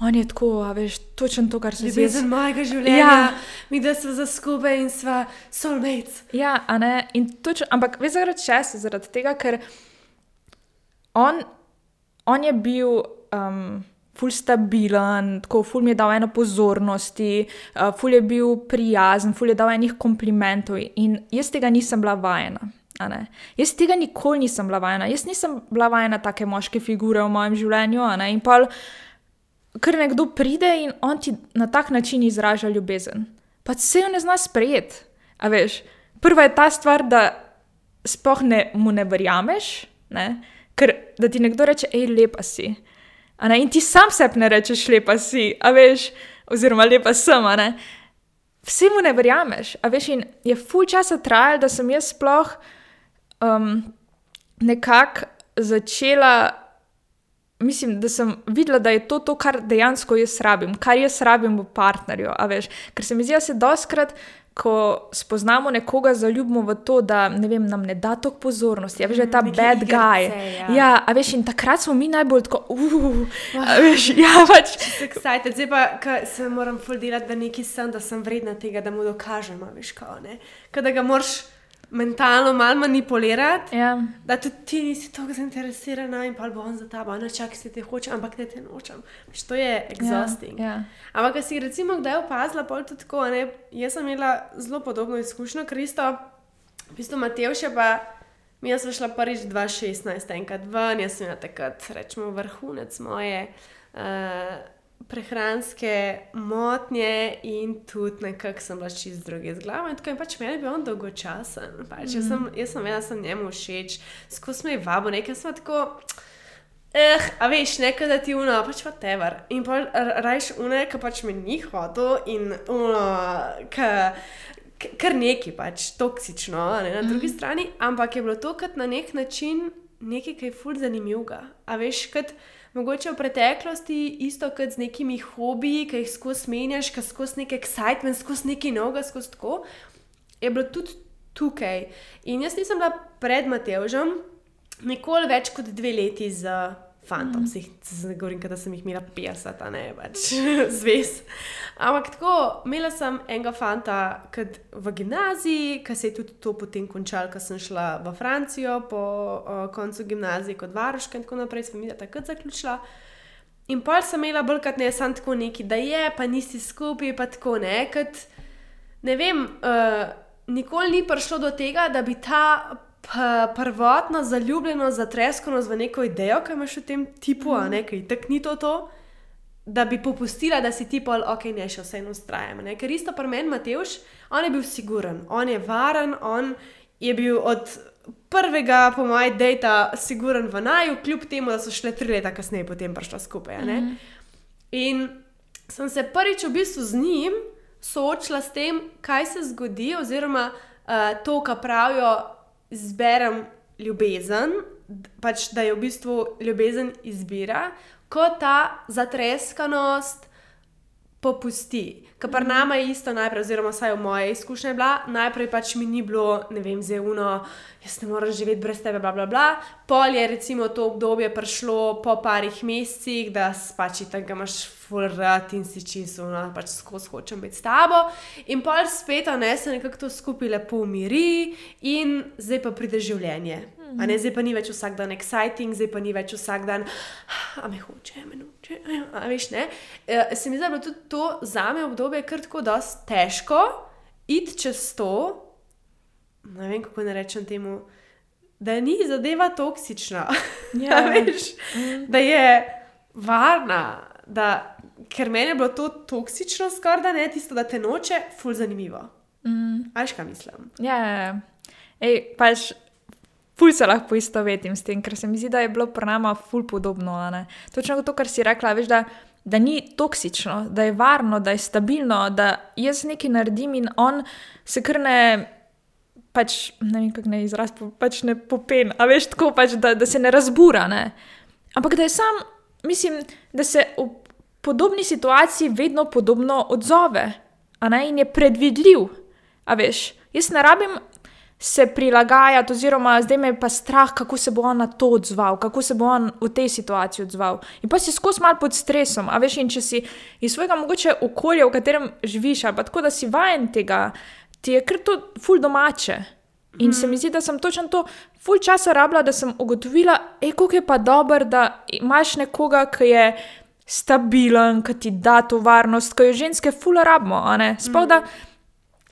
on je tako, a veš, točno to, kar se zdi. Ljubezen mojega življenja, mi da sva za skupaj in sva soulmates. Ja, in točno, ampak veš zaradi tega, ker on je bil ful stabilen, tako ful mi je dal eno pozornosti, ful je bil prijazen, ful je dal enih komplimentov in jaz tega nisem bila vajena. Jaz tega nikoli nisem bila vajena. Jaz nisem bila vajena take moške figure v mojem življenju, in pa ker nekdo pride in on ti na tak način izraža ljubezen. Pa se jo ne zna sprejeti, a veš. Prva je ta stvar, da sploh mu ne verjameš, ker da ti nekdo reče, lepa si. In ti sam sebi ne rečeš, lepa si, a veš, oziroma lepa sem, Vsi mu ne verjameš, a veš, in je ful časa trajalo, da sem jaz sploh nekako začela, mislim, da sem videla, da je to, kar dejansko jaz rabim, kar jaz rabim v partnerju, a veš, ker se mi zdi, da se dostikrat, ko spoznamo nekoga, zaljubimo v to, da, ne vem, nam ne da toliko pozornosti, a veš, da je ta bad guy. Ja, a veš, in takrat smo mi najbolj tako, a veš, ja, pač. Excited, zdaj pa, ko se moram ful delati, da neki sem, da sem vredna tega, da mu dokažem, a veš, kao, Kada ga moraš mentalno malo manipulirati, da tudi ti nisi toliko zainteresirana in pa bo on za tabo, čakaj, se te hočem, ampak ne te nočem. To je exhausting. Ampak, ko si recimo kdaj opazila, pol tudi tako, jaz sem imela zelo podobno izkušnjo, Kristo, v bistvu Matevž je pa, mi jaz sem šla prvič 2016 enkrat ven, jaz sem imela takrat, rečemo, vrhunec moje prehranske motnje in tudi nekako sem bila čist druge z glavo in tako in pač meni je bil on dolgočasen. Pač jaz sem vedela, da sem njemu všeč, skozi me je vabo, nekaj sem tako, a veš, nekaj da ti pač whatever. In pa rajš ki pač me ni hotel in kar neki pač toksično, na drugi strani, ampak je bilo to kot na nek način nekaj, kaj je ful zanimivega. A veš, kot mogoče v preteklosti isto kot z nekimi hobiji, ki jih skozi menjaš, ki skozi nek excitement, skozi nekaj novega, skozi tako, je bilo tudi tukaj. In jaz nisem bila pred Matevžem nikoli več kot 2 leti z fantom. Se govorim, da sem jih imela 50, pač zvez. Ampak tako, imela sem enega fanta v gimnaziji, ki se je tudi to potem končalo, ko sem šla v Francijo po koncu gimnazije kot varuška in tako naprej, sem mi takrat zaključila. In pol sem imela bolj kot ne, sam tako neki, da je, pa nisi skupaj, pa tako kot, ne vem, nikoli ni prišlo do tega, da bi ta prvotna zaljubljenost, zatreskanost v neko idejo, ki imaš v tem tipu, ki tak ni to, da bi popustila, da si ti pol, ne, še vseeno vztrajam. Ker isto pri meni Matevž, on je bil siguren, on je varen, on je bil od prvega, po moje, dejta siguren v naju, kljub temu, da so šle 3 leta kasneje potem prišla skupaj. In sem se prvič v bistvu z njim soočila s tem, kaj se zgodi, oziroma to, kar pravijo, izberem ljubezen, pač da je v bistvu ljubezen izbira, ko ta zatreskanost popusti. Ker pri nama je isto najprej, oziroma vsaj v moje izkušnje bila, najprej pač mi ni bilo, ne vem, jaz ne morem živeti brez tebe, bla, bla, bla. Pol je recimo to obdobje prišlo po parih mesecih, da pač tako imaš ful rad in si čisto, pač skozi hočem biti s tabo. In pol spet, se nekako to skupaj lepo umiri in zdaj pa pride življenje. A ne, zdaj pa ni več vsak dan exciting, zdaj pa ni več vsak dan, a me hoče, me noče, a veš, ne. Se mi zdi, da je bilo tudi to zame obdobje kar tako dosti težko iti čez to, ne vem, kako ne rečem temu, da ni zadeva toksična, Ja. veš, da je varna, ker meni je bilo to toksično skoraj, da ne, tisto, da te noče, ful zanimivo. A veš, kaj mislim? Ja. Ej, pač, ful se lahko poistovetim s tem, ker se mi zdi, da je bilo pri nama ful podobno, a ne. Točno to, kar si rekla, veš, da ni toksično, da je varno, da je stabilno, da jaz nekaj naredim in on se kar ne, pač, ne vem, kako ne izraz, pač ne popen, a veš, tako pač, da se ne razbura, ne. Ampak da je sam, mislim, da se v podobni situaciji vedno podobno odzove, a ne, in je predvidljiv, a veš. Jaz ne rabim se prilagajati, oziroma zdaj me je pa strah, kako se bo on na to odzval, kako se bo on v tej situaciji odzval. In pa si skozi malo pod stresom, a veš, in če si iz svojega mogoče okolja, v katerem živiš, ali pa tako, da si vajen tega, ti je kar to ful domače. In se mi zdi, da sem točno to ful časa rabila, da sem ugotovila, koliko je pa dobro, da imaš nekoga, ki je stabilen, ki ti da to varnost, ki jo ženske ful rabimo, a ne?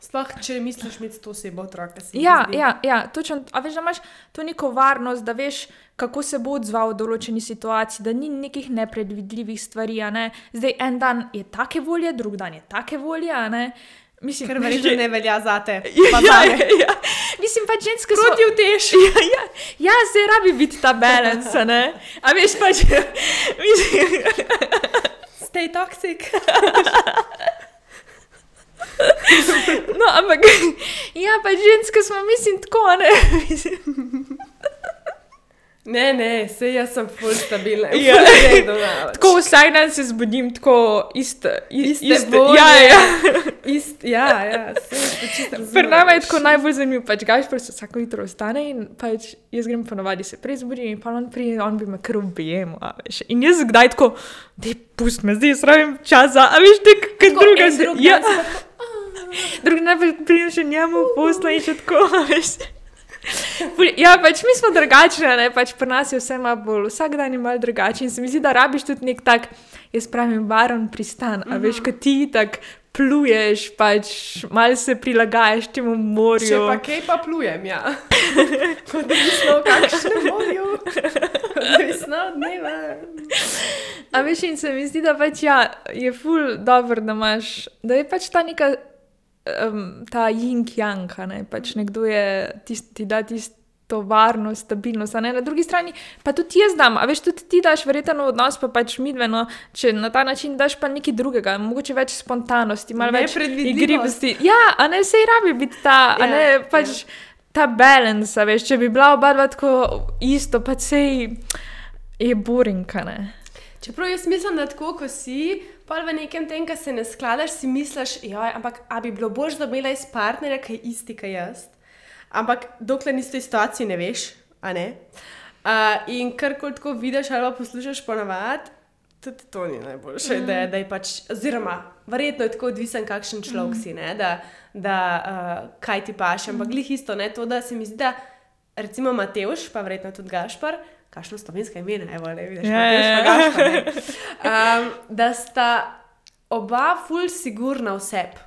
Sploh, če misliš imeti to osebo otroka, se mi zdi. Ja, točno. A veš, da imaš to neko varnost, da veš, kako se bo odzval v določeni situaciji, da ni nekih nepredvidljivih stvari, a ne. Zdaj, en dan je take volje, drug dan je take volje, a ne. Mislim, Ker verjetno ne velja zate. Ja. Mislim, pač ženske smo... Proti utež. Ja, zdaj rabi biti ta balance, a ne. A veš, pač... Mislim... Stay toxic. No, ampak, ja, pa ženske smo, mislim, tako, ne, Ne, sej jaz sem ful stabilna. Ja. Tako vsak dan se zbudim, tako iste volje. Ja. Pri nama je tako najbolj zanimivo, pač Gašper se vsako jutro vstane in pač jaz grem ponovadi se prej zbudim in pa on prije, on bi me kar objemal, a veš. In jaz kdaj tako, dej, pust me, zdaj jaz rabim časa, a veš, te, kaj druga se... Ja. Drugi najbolj prijem še njemu posla in še tako, a veš. Ja, pač mi smo drugačni, ne, pač pri nas je vse malo bolj, vsak dan je malo drugačen in se mi zdi, da rabiš tudi nek tak, jaz pravim, varen pristan, a veš, ko ti tak pluješ, pač malo se prilagajaš temu morju. Če pa kaj pa plujem, ja. Kot da bi šlo v kakšnem morju, kot da bi snal dneva. A veš, in se mi zdi, da pač ja, je ful dobro, da imaš, da je pač ta neka ta yin-yang, ne, pač nekdo je, ti da tisto varnost, stabilnost, a ne, na drugi strani pa tudi jaz dam, a veš, tudi ti daš verjetno odnos, pa pač midveno, če na ta način daš pa nekaj drugega, mogoče več spontanosti, malo več igrivosti. Ja, a ne, sej rabi biti ta, a ne, pač ta balance, a veš, če bi bila oba dva tako isto, pa sej je boring, a ne. Čeprav jaz mislim, da tako, ko si, pa v nekem tem, ko se ne skladaš, si misliš, ampak a bi bilo boljše, da bi imela iz partnerja, ki je isti, kot jaz. Ampak dokler nisi v tej situaciji, ne veš, a ne? In karkoli tako vidiš ali poslušaš ponavadi, tudi to ni najboljša ideja, da je pač, oziroma, verjetno je tako odvisen, kakšen človek si, ne? Da kaj ti paše, ampak glih isto, ne? To, da se mi zdi, da recimo Matevž, pa verjetno tudi Gašper, kakšno slovenska imena, evo, ne, vidiš, Matevž pa Gašper, ne? Da sta oba ful sigurna v sebi.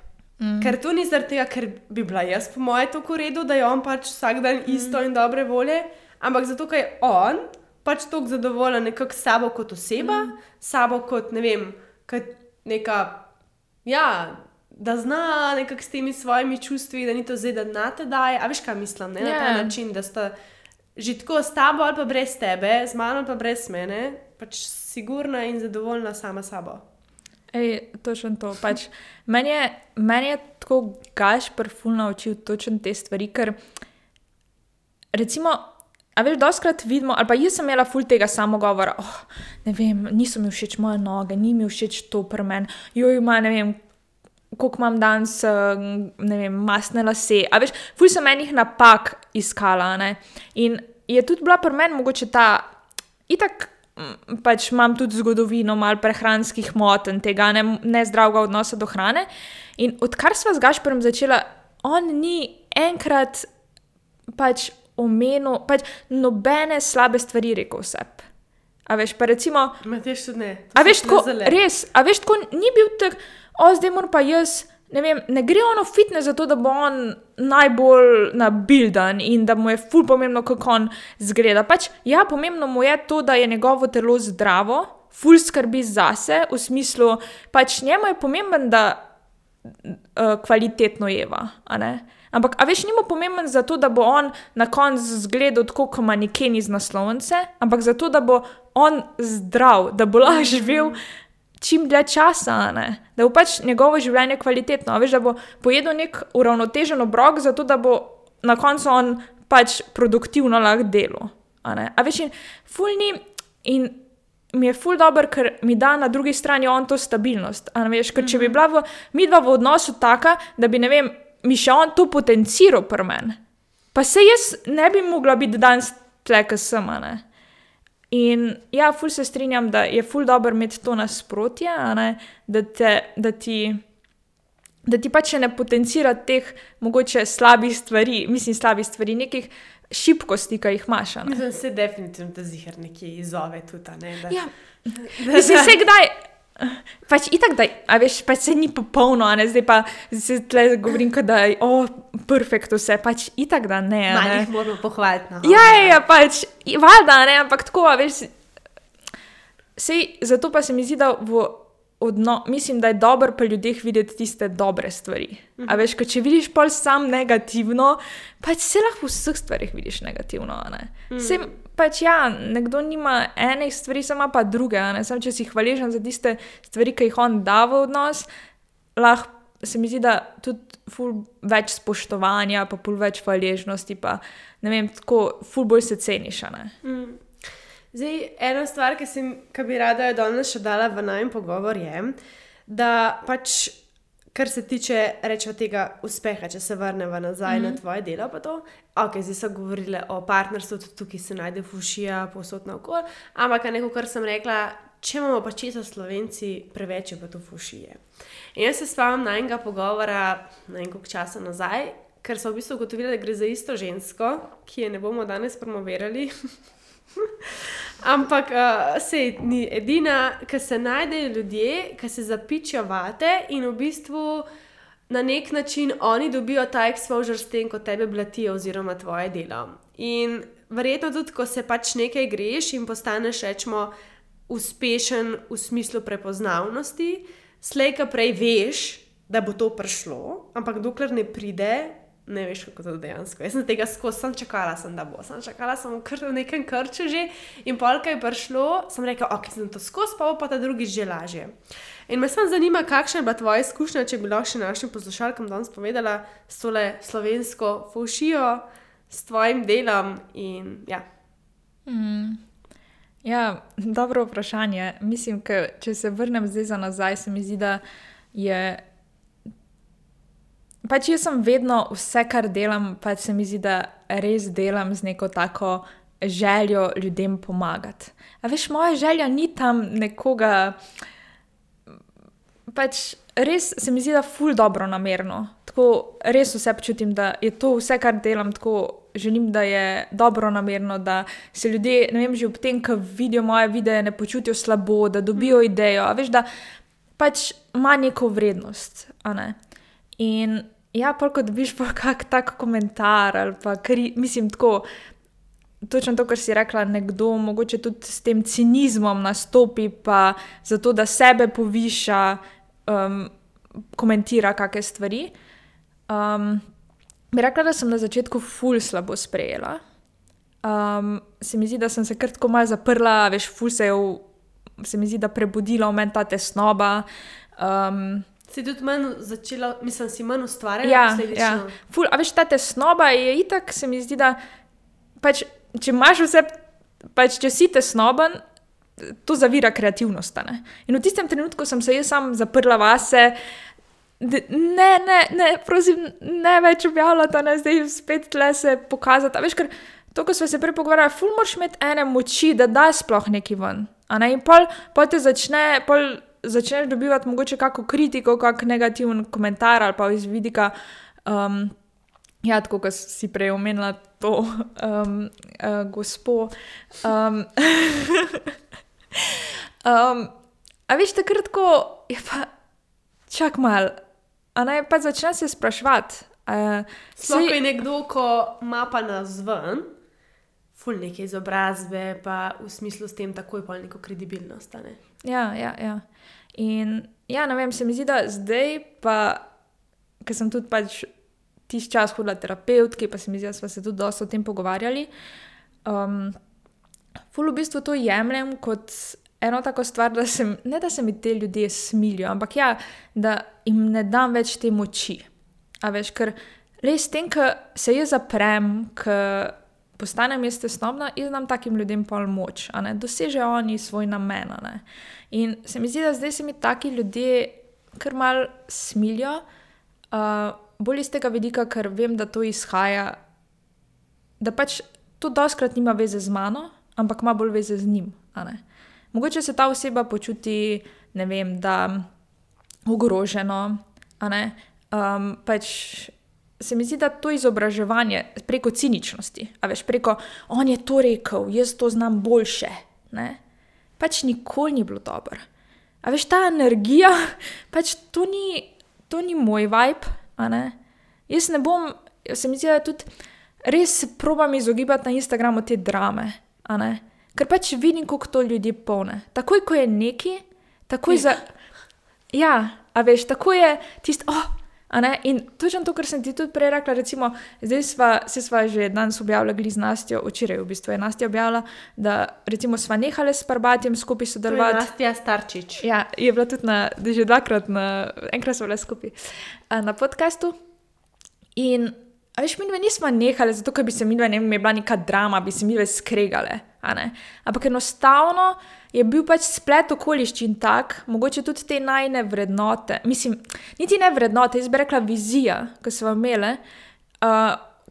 Ker to ni zaradi tega, ker bi bila jaz po moje tako v redu, da je on pač vsak dan isto in dobre volje, ampak zato, ker je on pač toliko zadovoljen nekako s sabo kot oseba, sabo kot, ne vem, kot neka, ja, da zna nekako s temi svojimi čustvi, da ni to zdaj, da na te daje, a veš, kaj mislim, ne, na ta način, da sta že tako s tabo ali pa brez tebe, z mano ali pa brez mene, pač sigurna in zadovoljna sama sabo. Ej, točno to, pač meni je tako Gašper ful naučil točno te stvari, ker recimo, a veš, dostikrat vidimo, ali pa jaz sem imela ful tega samogovora, ne vem, niso mi všeč moje noge, ni mi všeč to pri meni, ima, ne vem, koliko imam danes, ne vem, mastne lase, a veš, ful sem enih napak iskala, ne, in je tudi bila pri meni mogoče ta, itak, pač imam tudi zgodovino malo prehranskih motenj, tega nezdravega odnosa do hrane in odkar sva z Gašperjem začela, on ni enkrat pač omenil, pač nobene slabe stvari rekel sebi. A veš, pa recimo... Mateš tudi ne. A veš, tako, res, a veš, tako ni bil tak, zdaj moram pa jaz, ne vem, ne gre ono fitness zato, da bo on najbolj nabildan in da mu je ful pomembno, kako on zgleda. Pač, ja, pomembno mu je to, da je njegovo telo zdravo, ful skrbi zase, v smislu, pač njemu je pomemben, da kvalitetno jeva, a ne? Ampak, a veš, ni mu pomemben zato, da bo on na koncu zgledal tako, kot maneken iz naslovnice, ampak zato, da bo on zdrav, da bo lahko živel čim dlje časa, ne? Da bo pač njegovo življenje kvalitetno, a veš, da bo pojedel nek uravnotežen obrok, zato da bo na koncu on pač produktivno lahko delal, a ne? A veš, in ful ni, in mi je ful dober, ker mi da na drugi strani on to stabilnost, a ne veš, ker če bi bila midva v odnosu taka, da bi, ne vem, mi še on to potenciral pri meni, pa se jaz ne bi mogla biti danes tle, ko sem, a ne? In ja, ful se strinjam, da je ful dobro imeti to nasprotje, a ne? Da ti pač ne potencira teh mogoče slabih stvari, nekih šibkosti, ki jih imaš, a ne? Mislim, se definitivno ta ziher nekje izzove tudi, a ne? Ja, mislim, se kdaj... Pač itak, da, a veš, pač se ni popolno, a ne, zdaj pa se tle govorim, da je, perfekt vse, pač itak, da ne, a ne. Manjih moramo pohvaliti, no. Ja, pač, valjda, ne, ampak tako, a veš, sej, zato pa se mi zdi, da mislim, da je dobro pri ljudeh videti tiste dobre stvari. A veš, ker če vidiš pol sam negativno, pač se lahko v vseh stvarih vidiš negativno, a ne. Sej, pač ja, nekdo nima enih stvari, sama pa druge, a ne. Sam, če si hvaležen za tiste stvari, ki jih on da v odnos, lahko se mi zdi, da tudi ful več spoštovanja, pa ful več hvaležnosti, pa ne vem, tako ful bolj se ceniš, a ne. Zdaj, ena stvar, ki bi rada jo danes še dala v najem pogovor je, da pač, kar se tiče rečeva tega uspeha, če se vrneva nazaj na tvoje delo, pa to, zdaj so govorile o partnerstvu, tudi tukaj se najde fušija, povsod naokoli, ampak neko, kar sem rekla, če imamo pa čisto Slovenci, preveč je pa to fušije. In jaz se spomnim najenega pogovora, ne vem koliko časa nazaj, ker so v bistvu ugotovili, da gre za isto žensko, ki je ne bomo danes promovirali, ampak sej ni edina, ki se najdejo ljudje, ki se zapičijo vate in v bistvu na nek način oni dobijo ta exposure s tem, ko tebe blatijo oziroma tvoje delo. In verjetno tudi, ko se pač nekaj greš in postaneš, rečemo, uspešen v smislu prepoznavnosti, slej ko prej veš, da bo to prišlo, ampak dokler ne pride, ne veš, kako to dejansko. Jaz sem tega skozi, čakala sem kar v nekem krču že in polk je prišlo, sem rekla, sem to skozi, pa bo pa ta drugi že lažje. In me samo zanima, kakšna je bila tvoja izkušnja, če bi lahko še našim poslušalkam danes povedala s tole slovensko fušijo, s tvojim delom in ja. Ja, dobro vprašanje. Mislim, če se vrnem zdaj za nazaj, se mi zdi, da je pač jaz sem vedno vse, kar delam, pač se mi zdi, da res delam z neko tako željo ljudem pomagati. A veš, moja želja ni tam nekoga, pač res se mi zdi, da ful dobro namerno. Tako res vse počutim, da je to vse, kar delam, tako želim, da je dobro namerno, da se ljudje, ne vem, že ob tem, ko vidijo moje videe, ne počutijo slabo, da dobijo idejo, a veš, da pač ima neko vrednost, a ne. In ja, ko dobiš pa kak tak komentar ali pa, mislim tako, točno to, kar si rekla, nekdo mogoče tudi s tem cinizmom nastopi pa zato, da sebe poviša, komentira kake stvari. Bi rekla, da sem na začetku ful slabo sprejela. Se mi zdi, da sem se kar tako malo zaprla, veš, ful se mi zdi, da prebudila v meni ta tesnoba. Si tudi manj začela, mislim, si manj ustvarjala posledično. Ja. Ful, a veš, ta tesnoba je itak, se mi zdi, da pač, če imaš vse, pač, če si tesnoben, to zavira kreativnost, ne. In v tistem trenutku sem se jaz sam zaprla vase, ne, prosim, ne več objavljati, ne, zdaj spet tle se pokazati, a veš, ker to, ko smo se prej pogovarjali, ful moraš imeti ene moči, da daj sploh neki ven, a ne, in pol te začneš dobivati mogoče kako kritiko, kak negativen komentar ali pa iz vidika, ja, tako, ko si prej omenila to gospo. A veš, takrat tako, je pa, čak mal, a naj pa začne se spraševati. Sploh je nekdo, ko ima pa nazven, ful neke izobrazbe, pa v smislu s tem takoj pol neko kredibilnost, a ne? Ja. In ja, ne vem, se mi zdi, da zdaj pa, ker sem tudi pač tisti čas hodila terapevtki, pa se mi zdi, da smo se tudi dosti o tem pogovarjali, ful v bistvu to jemljem kot eno tako stvar, ne da se mi te ljudje smilijo, ampak ja, da jim ne dam več te moči. A veš, ker res tem, ko se jaz zaprem, ko postanem jaz tesnobna, jaz dam takim ljudem pol moč, a ne, dosežejo oni svoj namen, a ne. In se mi zdi, da zdaj se mi taki ljudje kar mal smilijo, bolj iz tega vidika, ker vem, da to izhaja, da pač to dostikrat nima veze z mano, ampak ima bolj veze z njim, a ne. Mogoče se ta oseba počuti, ne vem, da ogroženo, a ne, pač se mi zdi, da to izobraževanje preko ciničnosti, a veš, preko on je to rekel, jaz to znam boljše, ne, pač nikoli ni bilo dobro. A veš, ta energija, pač to ni moj vibe, a ne. Jaz ne bom, se mi zdi, da tudi res probam izogibati na Instagramu te drame, a ne. Ker pač vidim, koliko to ljudi polne. Takoj, ko je neki, takoj ja, a veš, takoj je tisto, a ne, in točno to, kar sem ti tudi prej rekla, recimo, zdaj sva že danes objavila glih z Nastjo, včeraj v bistvu je Nastja objavila, da recimo sva nehale s Parbatijem skupaj sodelovati. To je Nastja Starčič. Ja, je bila tudi že dvakrat, enkrat sva bila skupaj na podcastu in a veš, midve nismo nehali, zato ker bi se midve, ne vem, je bila neka drama, bi se midve skregale, a ne. Ampak enostavno je bil pač splet okoliščin tak, mogoče tudi te najine vrednote, mislim, niti ne vrednote, jaz bi rekla vizija, ko sva imele,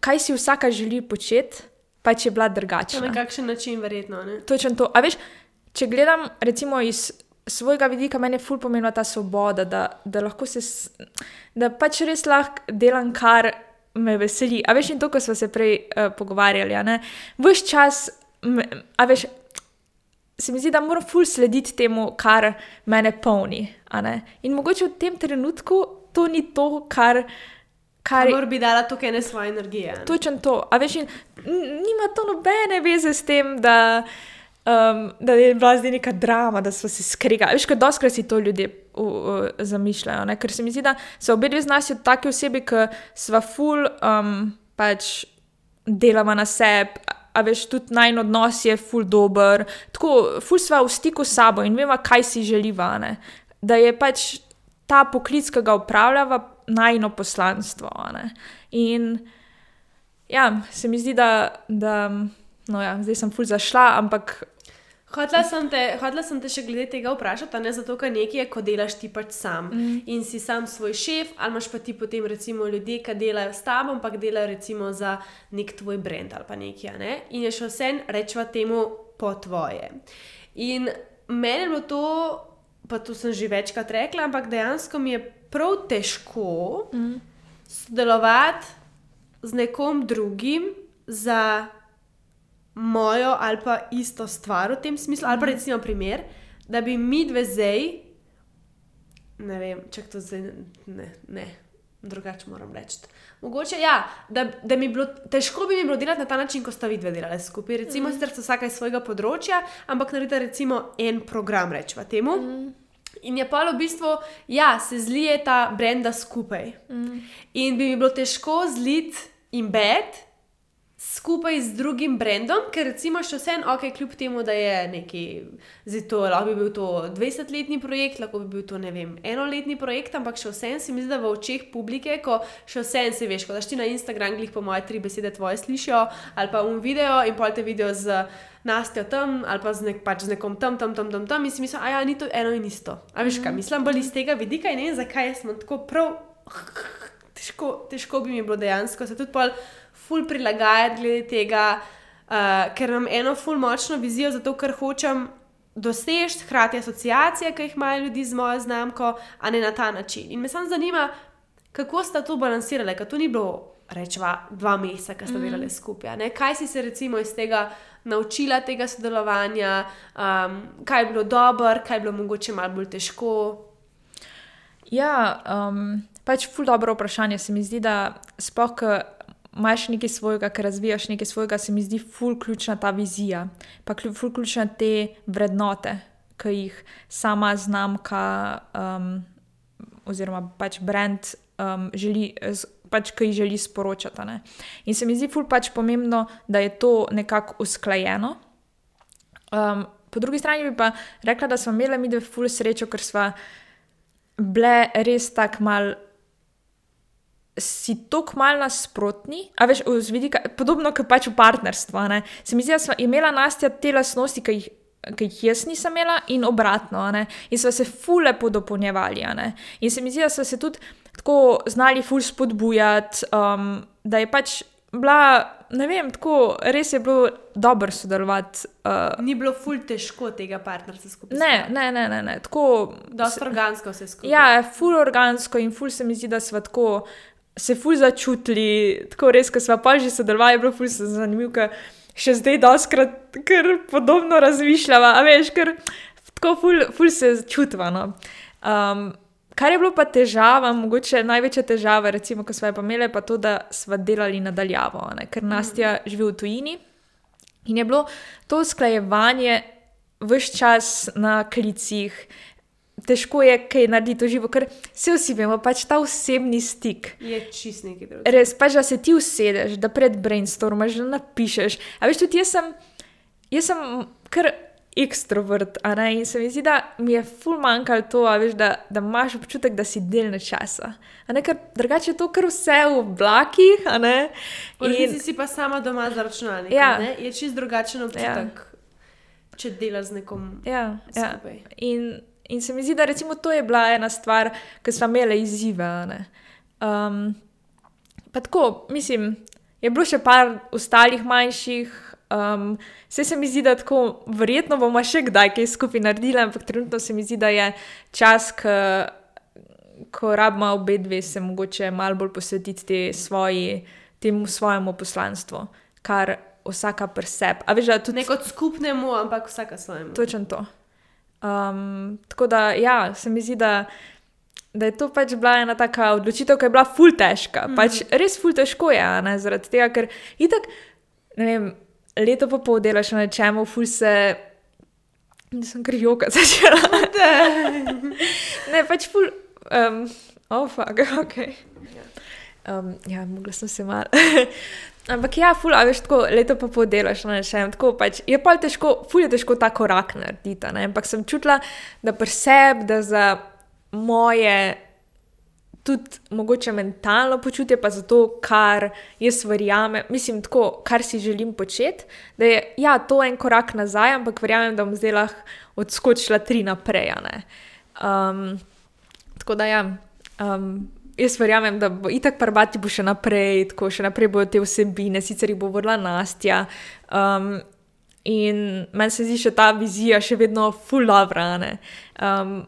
kaj si vsaka želi početi, pač je bila drugačna. Na kakšen način verjetno, ne? Točno to. A veš, če gledam recimo iz svojega vidika, meni je ful pomenila ta svoboda, da lahko da pač res lahko delam, kar me veseli. A veš, in to, ko smo se prej pogovarjali, a ne, ves čas, a veš, se mi zdi, da moram ful slediti temu, kar mene polni, a ne. In mogoče v tem trenutku to ni to, kar Kamor bi dala tukaj ne svoje energije. Ne? Točno to. A veš, nima to nobene veze s tem, da je bila zdaj neka drama, da smo se skregali. Veš, ker dostikrat si to ljudje zamišljajo, ne? Ker se mi zdi, da so obedve z nas take osebi, ki sva ful pač delava na sebi, a veš, tudi najin odnos je ful dober, tako ful sva v stiku s sabo in veva, kaj si želiva, ne? Da je pač ta poklic, ki ga upravljava, najino poslanstvo, ne? In ja, se mi zdi, da no ja, zdaj sem ful zašla, ampak Hotela sem te še glede tega vprašati, a ne zato, ker nekaj je, ko delaš ti pač sam in si sam svoj šef, ali imaš pa ti potem recimo ljudje, ki delajo s tabo, ampak delajo recimo za nek tvoj brand ali pa nekaj, a ne? In je še vse rečva temu po tvoje. In meni je bilo to, pa to sem že večkrat rekla, ampak dejansko mi je prav težko sodelovati z nekom drugim za mojo ali pa isto stvar v tem smislu, ali pa recimo primer, da bi midve zdaj, ne vem, čak to zdaj, ne, drugače moram reči. Mogoče, ja, da mi bilo, težko bi mi bilo delati na ta način, ko sta vidve delali skupaj. Recimo, sicer sta vsaka iz svojega področja, ampak naredite recimo en program, rečva temu. In je pa v bistvu, ja, se zlije ta brenda skupaj. In bi mi bilo težko zliti Embed skupaj z drugim brandom, ker recimo še vsem, kljub temu, da je neki, lahko bi bil to 20-letni projekt, lahko bi bil to, ne vem, enoletni projekt, ampak še vsem se mi zdi, da v očeh publike, ko še vsem se veš, ko daš ti na Instagram, glih po moje 3 besede tvoje slišijo, ali pa video in pol te video z Nastjo tam, ali pa z nekom tam, in si mislim, ja, ni to eno in isto. A veš kaj, mislim bolj iz tega vidika in ne vem, zakaj smo tako prav, težko bi mi bilo dejansko se tudi pol ful prilagajati glede tega, ker imam eno ful močno vizijo, zato ker hočem doseči hkrati asociacije, ki jih imajo ljudi z mojo znamko, a ne na ta način. In me samo zanima, kako sta to balansirali, ker to ni bilo rečeva 2 meseca, ki sta delali skupaj. Ne? Kaj si se recimo iz tega naučila, tega sodelovanja, kaj je bilo dobro, kaj je bilo mogoče malo bolj težko? Ja, pač ful dobro vprašanje. Se mi zdi, da sploh, ko imaš nekaj svojega, ko razvijaš nekaj svojega, se mi zdi ful ključna ta vizija, pa ful ključna te vrednote, ki jih sama znamka oziroma pač brand želi, pač ki jih želi sporočati. Ne? In se mi zdi ful pač pomembno, da je to nekako usklajeno. Po drugi strani bi pa rekla, da smo imeli mi dve ful srečo, ker sva bile res tako mal, si toliko mal nasprotni, a veš, z vidika, podobno kot pač v partnerstvu, ne. Se mi zdi, da sva imela Nastja te lastnosti, ki jih jaz nisem imela in obratno, ne. In sva se ful lepo dopolnjevali, ne. In se mi zdi, da sva se tudi tako znali ful spodbujati, da je pač bila, ne vem, tako res je bilo dobro sodelovati. Ni bilo ful težko tega partnerstva skupaj? Ne, tako... Dosti organsko vse skupaj? Ja, ful organsko in ful se mi zdi, da sva tako se ful začutili, tako res, ko sva pa že sodelovali, je bilo ful zanimivo, ker še zdaj dostikrat kar podobno razmišljava, a veš, ker tako ful se čutiva, no. Kar je bilo pa težava, mogoče največja težava, recimo, ko sva je pa imeli, pa to, da sva delali nadaljavo, ne? Ker Nastja živi v tujini in je bilo to usklajevanje ves čas na klicih, težko je kaj narediti v živo, ker vsi vemo, pač ta osebni stik. Je čist nekaj drugega. Res, pač da se ti usedeš, da pred brainstormaš, da napišeš. A veš, tudi jaz sem kar ekstrovert, a ne, in se mi zdi, da mi je ful manjkalo to, a veš, da imaš občutek, da si del nečesa. A ne, ker drugače je to kar vse v oblakih, a ne. V resnici si pa sama doma za računalnikom, Ja. ne? Je čist drugačen občutek, če delaš z nekom skupaj. In se mi zdi, da recimo to je bila ena stvar, ki sva imeli izzive, a ne. Pa tako, mislim, je bilo še par ostalih manjših, saj se mi zdi, da tako verjetno bomo še kdaj kaj skupaj naredili, ampak trenutno se mi zdi, da je čas, ko rabimo obe dve se mogoče malo bolj posvetiti temu svojemu poslanstvu, kar vsaka pri sebi. A veš, da tudi... Ne kot skupnemu, ampak vsaka svojemu. Točno to. Tako da, ja, se mi zdi, da je to pač bila ena taka odločitev, ki je bila ful težka. Pač res ful težko je, a ne, zaradi tega, ker itak, ne vem, leto pa pol delaš na nečemu, ful se... Nisem kar jokati začela. Ne, pač ful... fuck, okej. Ja, mogla sem se malo... Ampak ja, ful, a veš, tako leto pa pol delaš na nečem, tako pač, je pa težko, ful je težko ta korak narediti, ne, ampak sem čutila, da pri sebi, da za moje tudi mogoče mentalno počutje, pa za to, kar jaz verjamem, mislim tako, kar si želim početi, da je, ja, to en korak nazaj, ampak verjamem, da bom zdaj lahko odskočila 3 naprej, a ne. Tako da ja, jaz verjamem, da bo itak Parbati bo še naprej, tako še naprej bodo te vsebine, sicer jih bo vodila Nastja, in meni se zdi še ta vizija še vedno ful dobra, ne.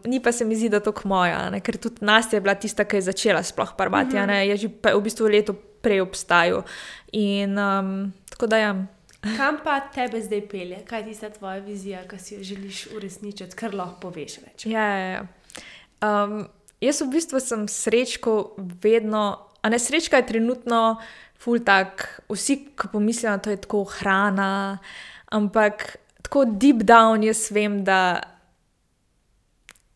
Ni pa se mi zdi, da to moja, ne, ker tudi Nastja je bila tista, ki je začela sploh Parbati, ne, je že v bistvu leto prej obstajal. In tako da ja. Kam pa tebe zdaj pelje? Kaj je tista tvoja vizija, ki si jo želiš uresničiti, kar lahko poveš več? Ja. Jaz v bistvu sem Srečko vedno, a ne, Srečka je trenutno ful tak, vsi, ko pomislijo na to, je tako hrana, ampak tako deep down jaz vem, da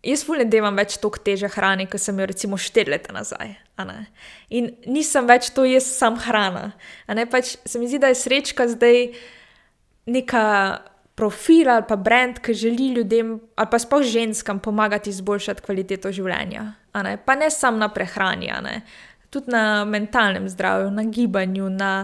jaz ful ne devam več toliko teže hrane, kot sem jo recimo 4 leta nazaj, a ne. In nisem več to jaz sam hrana, a ne, pač se mi zdi, da je Srečka zdaj neka profil ali pa brand, ki želi ljudem ali pa sploh ženskam pomagati izboljšati kvaliteto življenja, a ne, pa ne samo na prehrani, a ne, tudi na mentalnem zdravju, na gibanju, na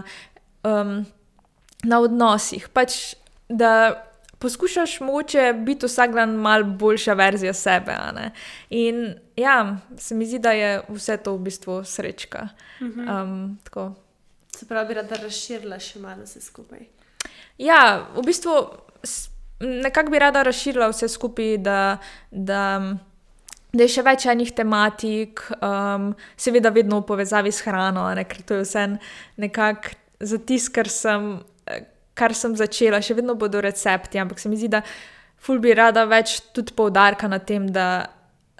odnosih, pač da poskušaš mogoče biti vsak dan malo boljša verzija sebe, a ne, in ja, se mi zdi, da je vse to v bistvu Srečka. Tako. Se pravi, bi rada razširila še malo vse skupaj. Ja, v bistvu nekako bi rada razširila vse skupaj, da da je še več enih tematik, seveda vedno v povezavi s hrano, ne, ker to je vse nekako za tisto, kar sem začela, še vedno bodo recepti, ampak se mi zdi, da ful bi rada več tudi poudarka na tem, da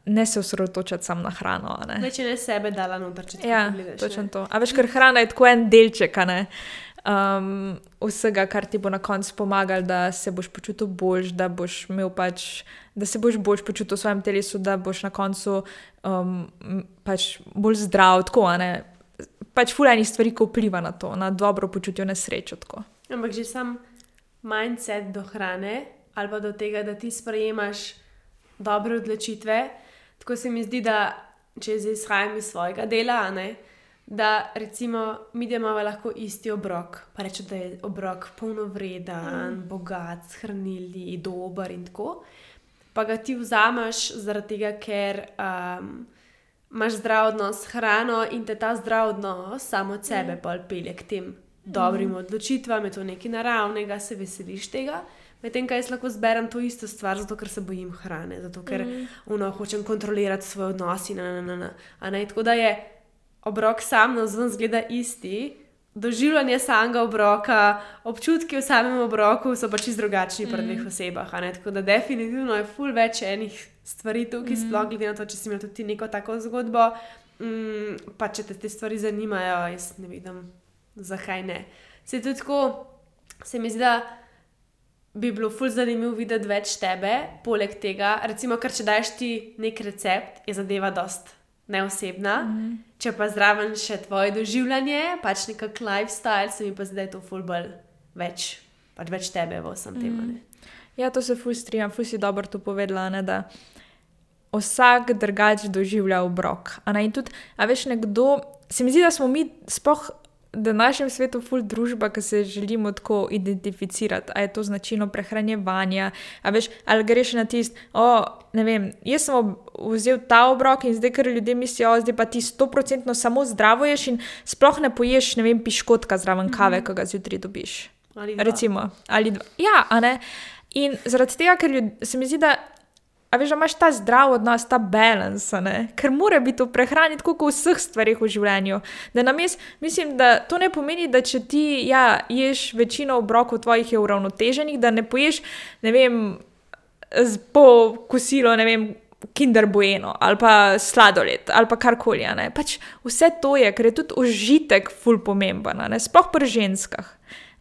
ne se osredotočati samo na hrano. Več je ne sebe dala noter, če ti pogledaš. Ja, točno to. A veš, ker hrana je tako en delček, vsega, kar ti bo na koncu pomagalo, da se boš počutil boljš, da boš imel da se boš boljš počutil v svojem telesu, da boš na koncu bolj zdrav, tako, ful enih stvari, ko vpliva na to, na dobro počutje, na srečo, tako. Ampak že sam mindset do hrane ali pa do tega, da ti sprejemaš dobre odločitve, tako se mi zdi, da če zdaj izhajam iz svojega dela, da recimo mi imamo lahko isti obrok, pa reče, da je obrok polnovreden, bogat, s hranili, dober in tako, pa ga ti vzameš zaradi tega, ker imaš zdrav odnos s hrano in te ta zdrav odnos samo od sebe bolj pelje k tem dobrim odločitvam, je to nekaj naravnega, se veseliš tega. Medtem, kaj jaz lahko zberem to isto stvar, zato ker se bojim hrane, zato ker hočem kontrolirati svoj odnos in tako da je obrok sam navzven zgleda isti, doživljanje samega obroka, občutki v samem obroku so pač drugačni pri dveh osebah, tako da definitivno je ful več enih stvari tukaj, sploh glede na to, če si imel tudi neko tako zgodbo, pa če te stvari zanimajo, jaz ne vidim, zakaj ne. Se tudi tako, se mi zdi, da bi bilo ful zanimivo videti več tebe, poleg tega, recimo, ker če daješ ti nek recept, je zadeva dost neosebna, če pa zraven še tvoje doživljanje, pač nekak lifestyle, se mi pa zdi, da je to ful bolj več tebe v vsem tem. Ja, to se ful strinjam, ful si dobro to povedala, da vsak drugače doživlja obrok. In tudi, a veš, nekdo, se mi zdi, da smo mi sploh v današnjem svetu ful družba, ki se želimo tako identificirati, a je to z načinom prehranjevanja, a veš, ali greš na tist, ne vem, jaz sem vzel ta obrok in zdaj, ker ljudje mislijo, zdaj pa ti 100% samo zdravo ješ in sploh ne poješ, ne vem, piškotka zraven kave, ki ga zjutraj dobiš. Ali dva. Recimo, ali dva. Ja, a ne? In zaradi tega, ker se mi zdi, da a veš, da imaš ta zdrav odnos, ta balance, ker mora biti v prehrani tako kot v vseh stvarih v življenju. Da mislim, da to ne pomeni, da če ti ješ večino obrokov tvojih je uravnoteženih, da ne poješ, ne vem, po kosilo, ne vem, Kinder Bueno ali pa sladoled ali pa karkoli. Pač vse to je, ker je tudi užitek ful pomemben, sploh pri ženskah.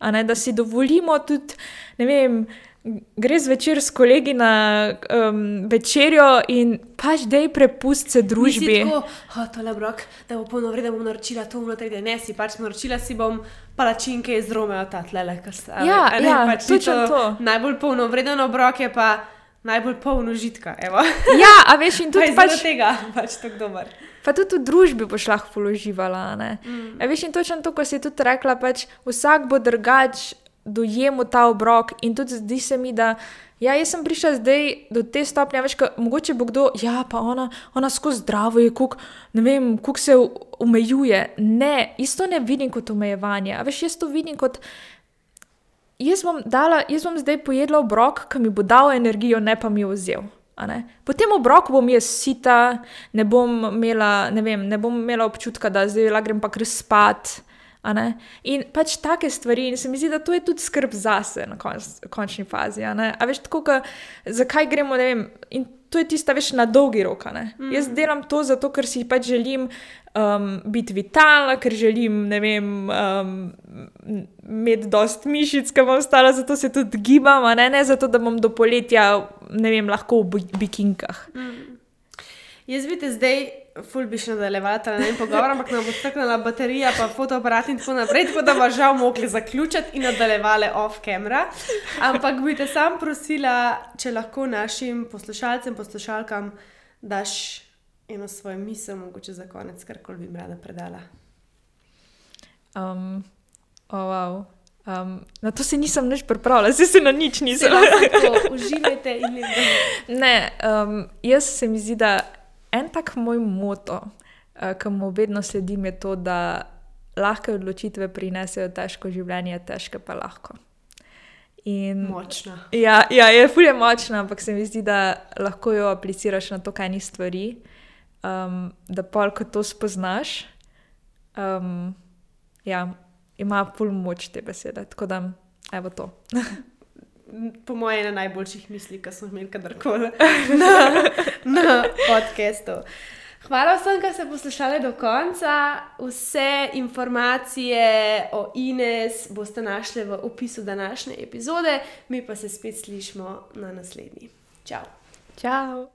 Da si dovolimo tudi, ne vem, gre zvečer s kolegi na večerjo in pač dej prepust se družbi. Nisi tako, tole obrok, da bo polnovreden, bom naročila to, ne si, pač naročila si bom palačinke iz Romeja, ta tlele, pač točno to. Najbolj polnovreden obrok je pa najbolj poln užitka, evo. Ja, a veš, in tudi pač tega, pač tako dober. Pa tudi v družbi boš lahko ful uživala, A veš, in točno to, ko si tudi rekla, pač vsak bo drugač dojemu ta obrok in tudi zdi se mi, da jaz sem prišla zdaj do te stopnje, veš, mogoče bo kdo, pa ona skozi zdravo je, ne vem, koliko se omejuje. Ne, jaz to ne vidim kot omejevanje, a veš, jaz to vidim kot, jaz bom zdaj pojedla obrok, ki mi bo dal energijo, ne pa mi jo vzel. Po tem obroku bom jaz sita, ne bom imela občutka, da zdaj grem pa kar spat. In pač take stvari, in se mi zdi, da to je tudi skrb zase na končni fazi. A veš, tako, zakaj gremo, ne vem, in to je tista, veš, na dolgi rok. Jaz delam to zato, ker si pač želim biti vitalna, ker želim, ne vem, imeti dost mišic, ki bom stala, zato se tudi gibam, ne zato, da bom do poletja, ne vem, lahko v bikinkah. Jaz bi te zdaj ful bi še nadaljevala pogovor, ampak nam bo staknila baterija, pa fotoaparat in tako naprej, tako da bo žal mogli zaključiti in nadaljevale off camera. Ampak bi te sam prosila, če lahko našim poslušalcem, poslušalkam daš eno svojo misel, mogoče za konec, karkoli bi jim rada predala. Wow. Na to se nisem nič pripravila, se na nič nisem. Uživajte in ne, jaz se mi zdi, da en tak moj moto, ki mu vedno sledim, je to, da lahke odločitve prinesejo težko življenje, težke pa lahko. Močna. Ja, je ful je močna, ampak se mi zdi, da lahko jo apliciraš na to, kaj ni stvari, da pol, ko to spoznaš, ima ful moč te besede, tako da, evo to. Po moje ena najboljših misli, ki smo imeli kadarkoli na podcastu. Hvala vsem, ki ste poslušali do konca. Vse informacije o Ines boste našli v opisu današnje epizode, mi pa se spet slišimo na naslednji. Čau. Čau.